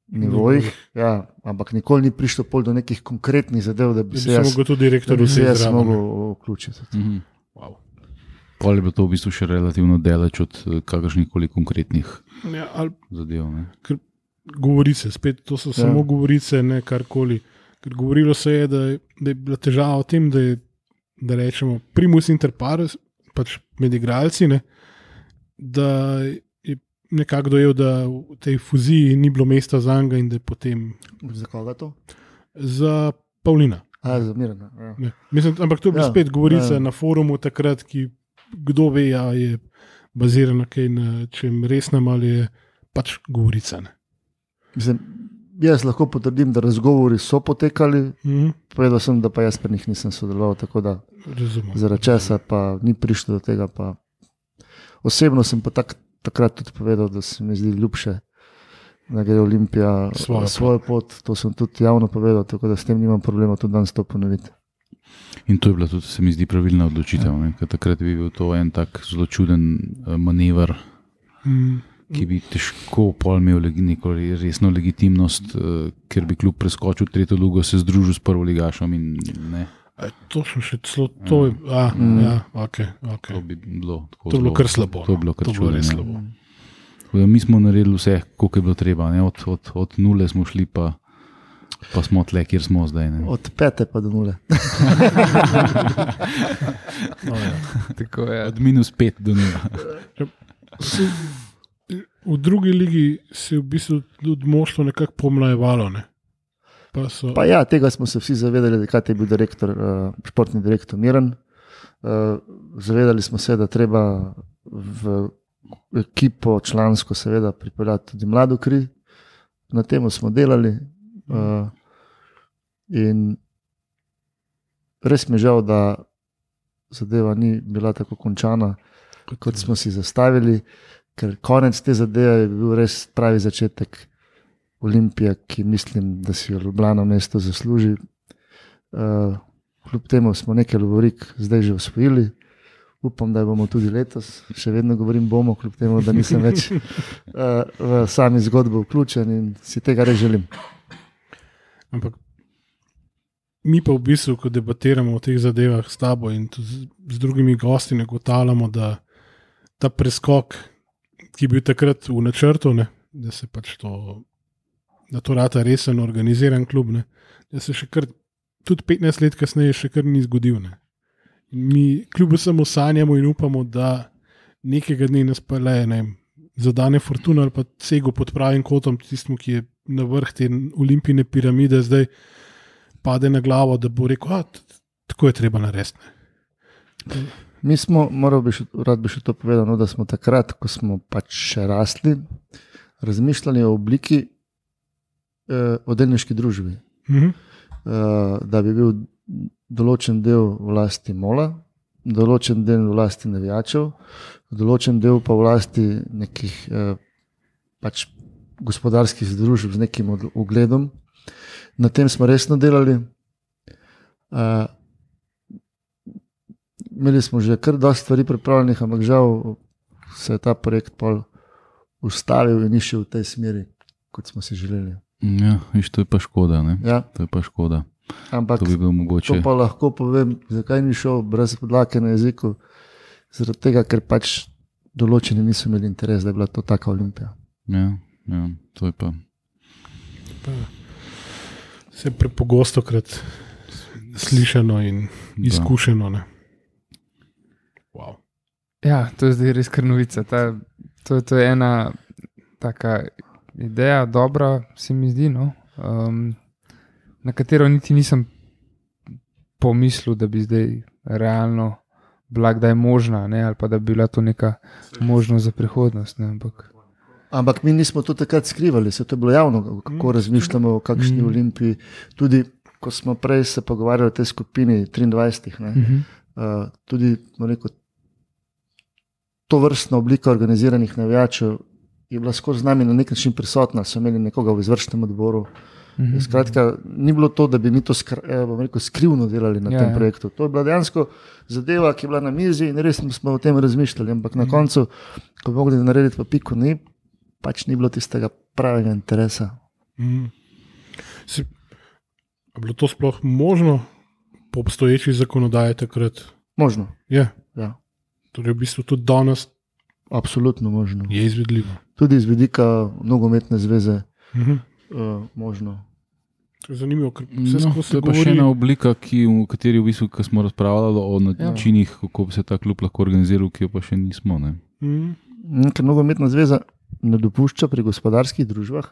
nivojih, ja, ampak nikoli ni prišlo pol do nekih konkretnih zadev, da bi se jaz, da bi se jaz mogel vključiti. Mm-hmm. Wow. Pol je bilo to v bistvu še relativno daleč od kakršnih koli konkretnih ja, ali, zadev. Ne? Ker govorice, spet to so ja. samo govorice, ne karkoli. Ker govorilo se je, da je, da je bila težava v tem, da je, da rečemo, primus inter pares, pač med igralci, ne, da je nekako dojel, da v tej fuziji ni bilo mesta za njega in da je potem... Za koga to? Za Pavlina. A, za Mirana. Ja. Ne. Mislim, ampak to je bila Ja, spet govorica ja. na forumu takrat, ki kdo ve, a je bazirana kaj na čem resnem ali je pač govorica. Ne. Mislim, jaz lahko potrdim, da razgovori so potekali, Mhm. povedal sem, da pa jaz pri njih nisem sodeloval, tako da Razumem. zaradi česa pa ni prišlo do tega. Pa. Osebno sem pa tak, takrat tudi povedal, da se mi zdi ljubše, da gre Olimpija Svojo pot. svojo pot. To sem tudi javno povedal, tako da s tem nimam problema tudi danes to ponoviti. In to je bila tudi, se mi zdi, pravilna odločitev. Ja. Ker takrat bi bil to en tak zelo čuden eh, manever, Mhm. ki bi težko pol imel legi- neko resno legitimnost, eh, ker bi klub preskočil tretjo ligo, se združil s prvoligašom in ne. E, to sem še celo, to je, a, Mm. ja, ok, ok. To bi bilo tako To je bilo zelo- kar slabo. To je bilo no. kar To je bilo res čudno, slabo. ja. Tako da Mi smo naredili vse, koliko je bilo treba. Ne? Od, od, od nule smo šli, pa, pa smo tle, kjer smo zdaj. Ne? Od pete pa do nule. No, ja. Tako je. Od minus pet do nula. Se, v drugi ligi se je v bistvu tudi moštvo nekako pomlajevalo. Ne? Pa so, Pa ja, tega smo se vsi zavedali, da je bil direktor, uh, športni direktor Miran. Uh, zavedali smo se, da treba v ekipo člansko seveda pripeljati tudi mlado kri. Na tem smo delali. Uh, in res mi je žal, da zadeva ni bila tako končana, kot smo si zastavili, ker konec te zadeve je bil res pravi začetek Olimpije, ki mislim, da si jo Ljubljana mesto zasluži. Uh, kljub temu smo nekaj lovorik zdaj že osvojili. Upam, da bomo tudi letos, še vedno govorim bomo, kljub temu, da nisem več uh, v sami zgodbo vključen in si tega res želim. Ampak mi pa v bistvu, ko debatiramo o teh zadevah s tabo in tudi z, z drugimi gosti, ne ugotavljamo, da ta preskok, ki je bil takrat v načrtu, ne, da se pač to, da to rata resen, organiziran klub, ne, da se še kar, tudi petnajst let kasneje še kar ni zgodil. Ne. In mi kljub samo sanjamo in upamo, da nekega dne nas pele, ne vem, zadane fortuna ali pa cego pod pravim kotom, tistemu, ki je na vrh te olimpijske piramide, zdaj pade na glavo, da bo rekel, da tako je treba narediti. Mi smo, moral bi še, rad bi še to povedal, no, da smo takrat, ko smo pač še rasli, razmišljali o obliki eh, o delniški družbi. Mhm. Uh, da bi bil določen del v lasti Mola, določen del v lasti navijačev, določen del pa v lasti nekih uh, pač gospodarskih združb z nekim od- ugledom. Na tem smo resno delali. Uh, imeli smo že kar dosti stvari pripravljenih, ampak žal se je ta projekt pol ustavil in ni šel v tej smeri, kot smo si želeli. Ja, viš, to je pa škoda. Ne? Ja, To je pa škoda. ampak To bi bilo to mogoče. pa lahko povem, zakaj ni šel brez podlake na jeziku. Zaradi tega, ker pač določeni niso imeli interes, da je bila to taka Olimpija. Ja, ja, to je pa. Se prepogosto krat slišano in izkušeno. Ne. Wow. Ja, to je zdaj res kar novica. Ta, to, to je ena taka ideja, dobra, se mi zdi, no? um, na katero niti nisem pomislil, da bi zdaj realno bila kdaj možna, ne? Ali pa da bi bila to neka možnost za prihodnost. Ne? Ampak, Ampak mi nismo to takrat skrivali, se to je bilo javno, kako razmišljamo o kakšni Mm. Olimpiji. Tudi ko smo prej se pogovarjali o tej skupini triindvajset, ne, uh-huh. uh, tudi rekel, to vrstna oblika organiziranih navijačev je bila skozi z nami na nek način prisotna, so imeli nekoga v izvršnem odboru. Uh-huh. Skratka, ni bilo to, da bi mi to skr, eh, bom rekel, skrivno delali na Ja, ja, tem ja. projektu. To je bila dejansko zadeva, ki je bila na mizi in res smo o tem razmišljali. Ampak na koncu, ko bi mogli narediti pa piko, ni, pač ni bilo tistega pravega interesa. Mm. Se, a bilo to sploh možno po obstoječi zakonodaji takrat? Možno, Je. ja, Torej, v bistvu tudi danes absolutno možno. je izvedljivo. Tudi iz vidika nogometne zveze Mhm. uh, možno. To je zanimivo, ker vse No, skozi to je pa govori. še ena oblika, ki, v kateri v bistvu, ko smo razpravljali o načinih, ja. kako bi se ta klub lahko organiziral, ki jo pa še nismo. Ne? Mhm. Mm, Ker nogometna zveza ne dopušča pri gospodarskih družbah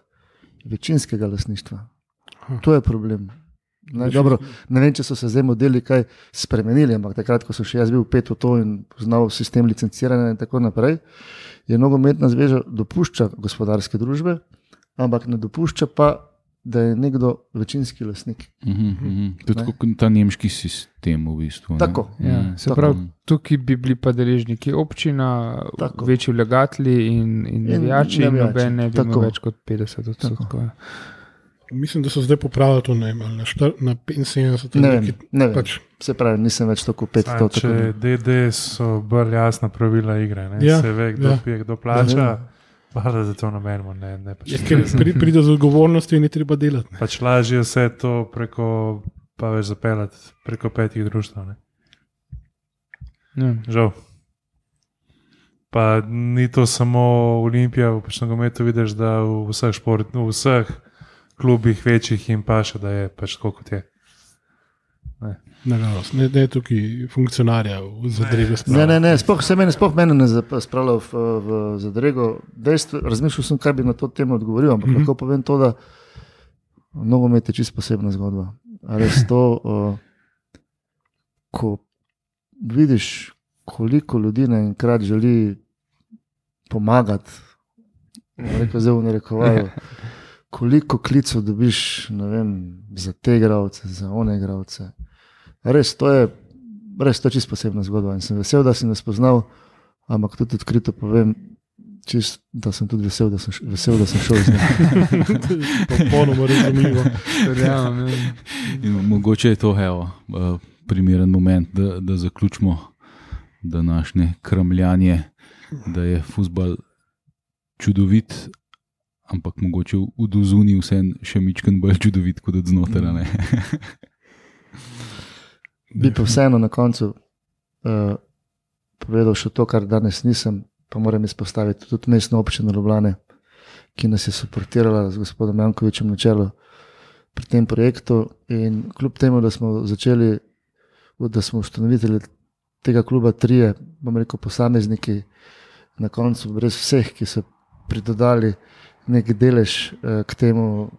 večinskega lastništva. Aha. To je problem. Ne, dobro, ne vem, če so se zdaj modeli kaj spremenili, ampak takrat, ko sem še jaz bil pet v to in poznal sistem licenciranja in tako naprej, je nogometna zveza dopušča gospodarske družbe, ampak ne dopušča pa, da je nekdo večinski lastnik. Mm -hmm. Tudi kot ta nemški sistem v bistvu. Tako. Ja, se pravi, tukaj bi bili pa deležniki občina, Tako. večji vlagatelji in, in navijači, in noben ne bi imel več kot petdeset odstotkov. Mislim, da so zdaj popravili to ne, ali na, štar, na petinsedemdeset. Ne vem, ne vem. Pač, Se pravi, nisem več tako pet. Saj, To, če tako D D so bolj jasna pravila igre, ne? Ja, Se ve, kdo ja. pije, kdo plača, pa da za to namenimo. Ne, ne, pač je, ker pri, pride z odgovornosti in je treba delati. Ne. pač lažje vse to preko, pa več zapeljati preko petih društv. Ne? Ja. Žal. Pa ni to samo Olimpija, v pač nogometu vidiš, da v vseh šport, v vseh klubih večjih jim paše, da je pač tako kot je. Nažalost, ne, ne tukaj funkcionarja v zadrego Ne, spravo. ne, ne, sploh se meni, sploh mene ne zap- spravlja v, v zadrego. Dejstvo, razmišljal sem, kaj bi na to temo odgovoril, ampak mm -hmm. lahko povem to, da nogomet je čisto posebna zgodba. A res to, uh, ko vidiš, koliko ljudi naenkrat želi pomagati, rekel zdaj v narekovaju, koliko klicev dobiš, ne vem, za te igralce, za one igralce. Res, to je, res, to je čisto posebna zgodba in sem vesel, da si nas poznal, ampak tudi odkrito povem, čist, da sem tudi vesel, da sem, š- vesel, da sem šel z njim. Popolnoma razumljivo. Verjamem, ja. In mogoče je to evo, eh, primeren moment, da, da zaključimo današnje kramljanje, da je fuzbal čudovit, ampak mogoče v dozuni vse še mičken bolj čudovit kot od znotraj. ne. Bi pa vseeno na koncu uh, povedal še to, kar danes nisem, pa moram izpostaviti tudi mestno občino Ljubljane, ki nas je suportirala z gospodom Jankovičem na čelu pri tem projektu. In kljub temu, da smo začeli, da smo ustanovitelji tega kluba trije, bom rekel, posamezniki, na koncu brez vseh, ki so pridodali nek delež uh, k temu,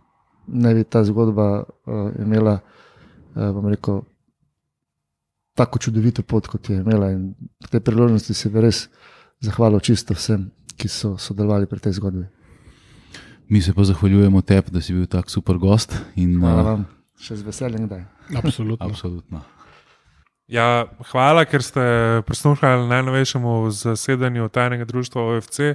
naj bi ta zgodba uh, imela, uh, bom rekel, tako čudovito pot, kot je imela. In v tej priložnosti se bi res zahvalil čisto vsem, ki so sodelovali pri tej zgodbi. Mi se pa zahvaljujemo tebi, da si bil tak super gost. In, Hvala eh, vam, še z veseljem kdaj. Absolutno. Absolutno. Ja, hvala, ker ste prisluhnili najnovejšemu zasedanju tajnega društva O F C.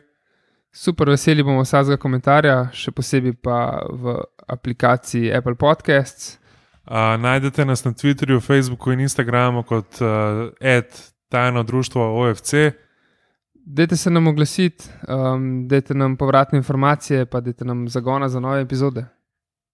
Super, veseli bomo vsakega komentarja, še posebej pa v aplikaciji Apple Podcasts. Uh, najdete nas na Twitterju, Facebooku in Instagramu kot uh, et tajno društvo O F C. Dajte se nam oglasiti, um, dajte nam povratne informacije, pa dajte nam zagona za nove epizode.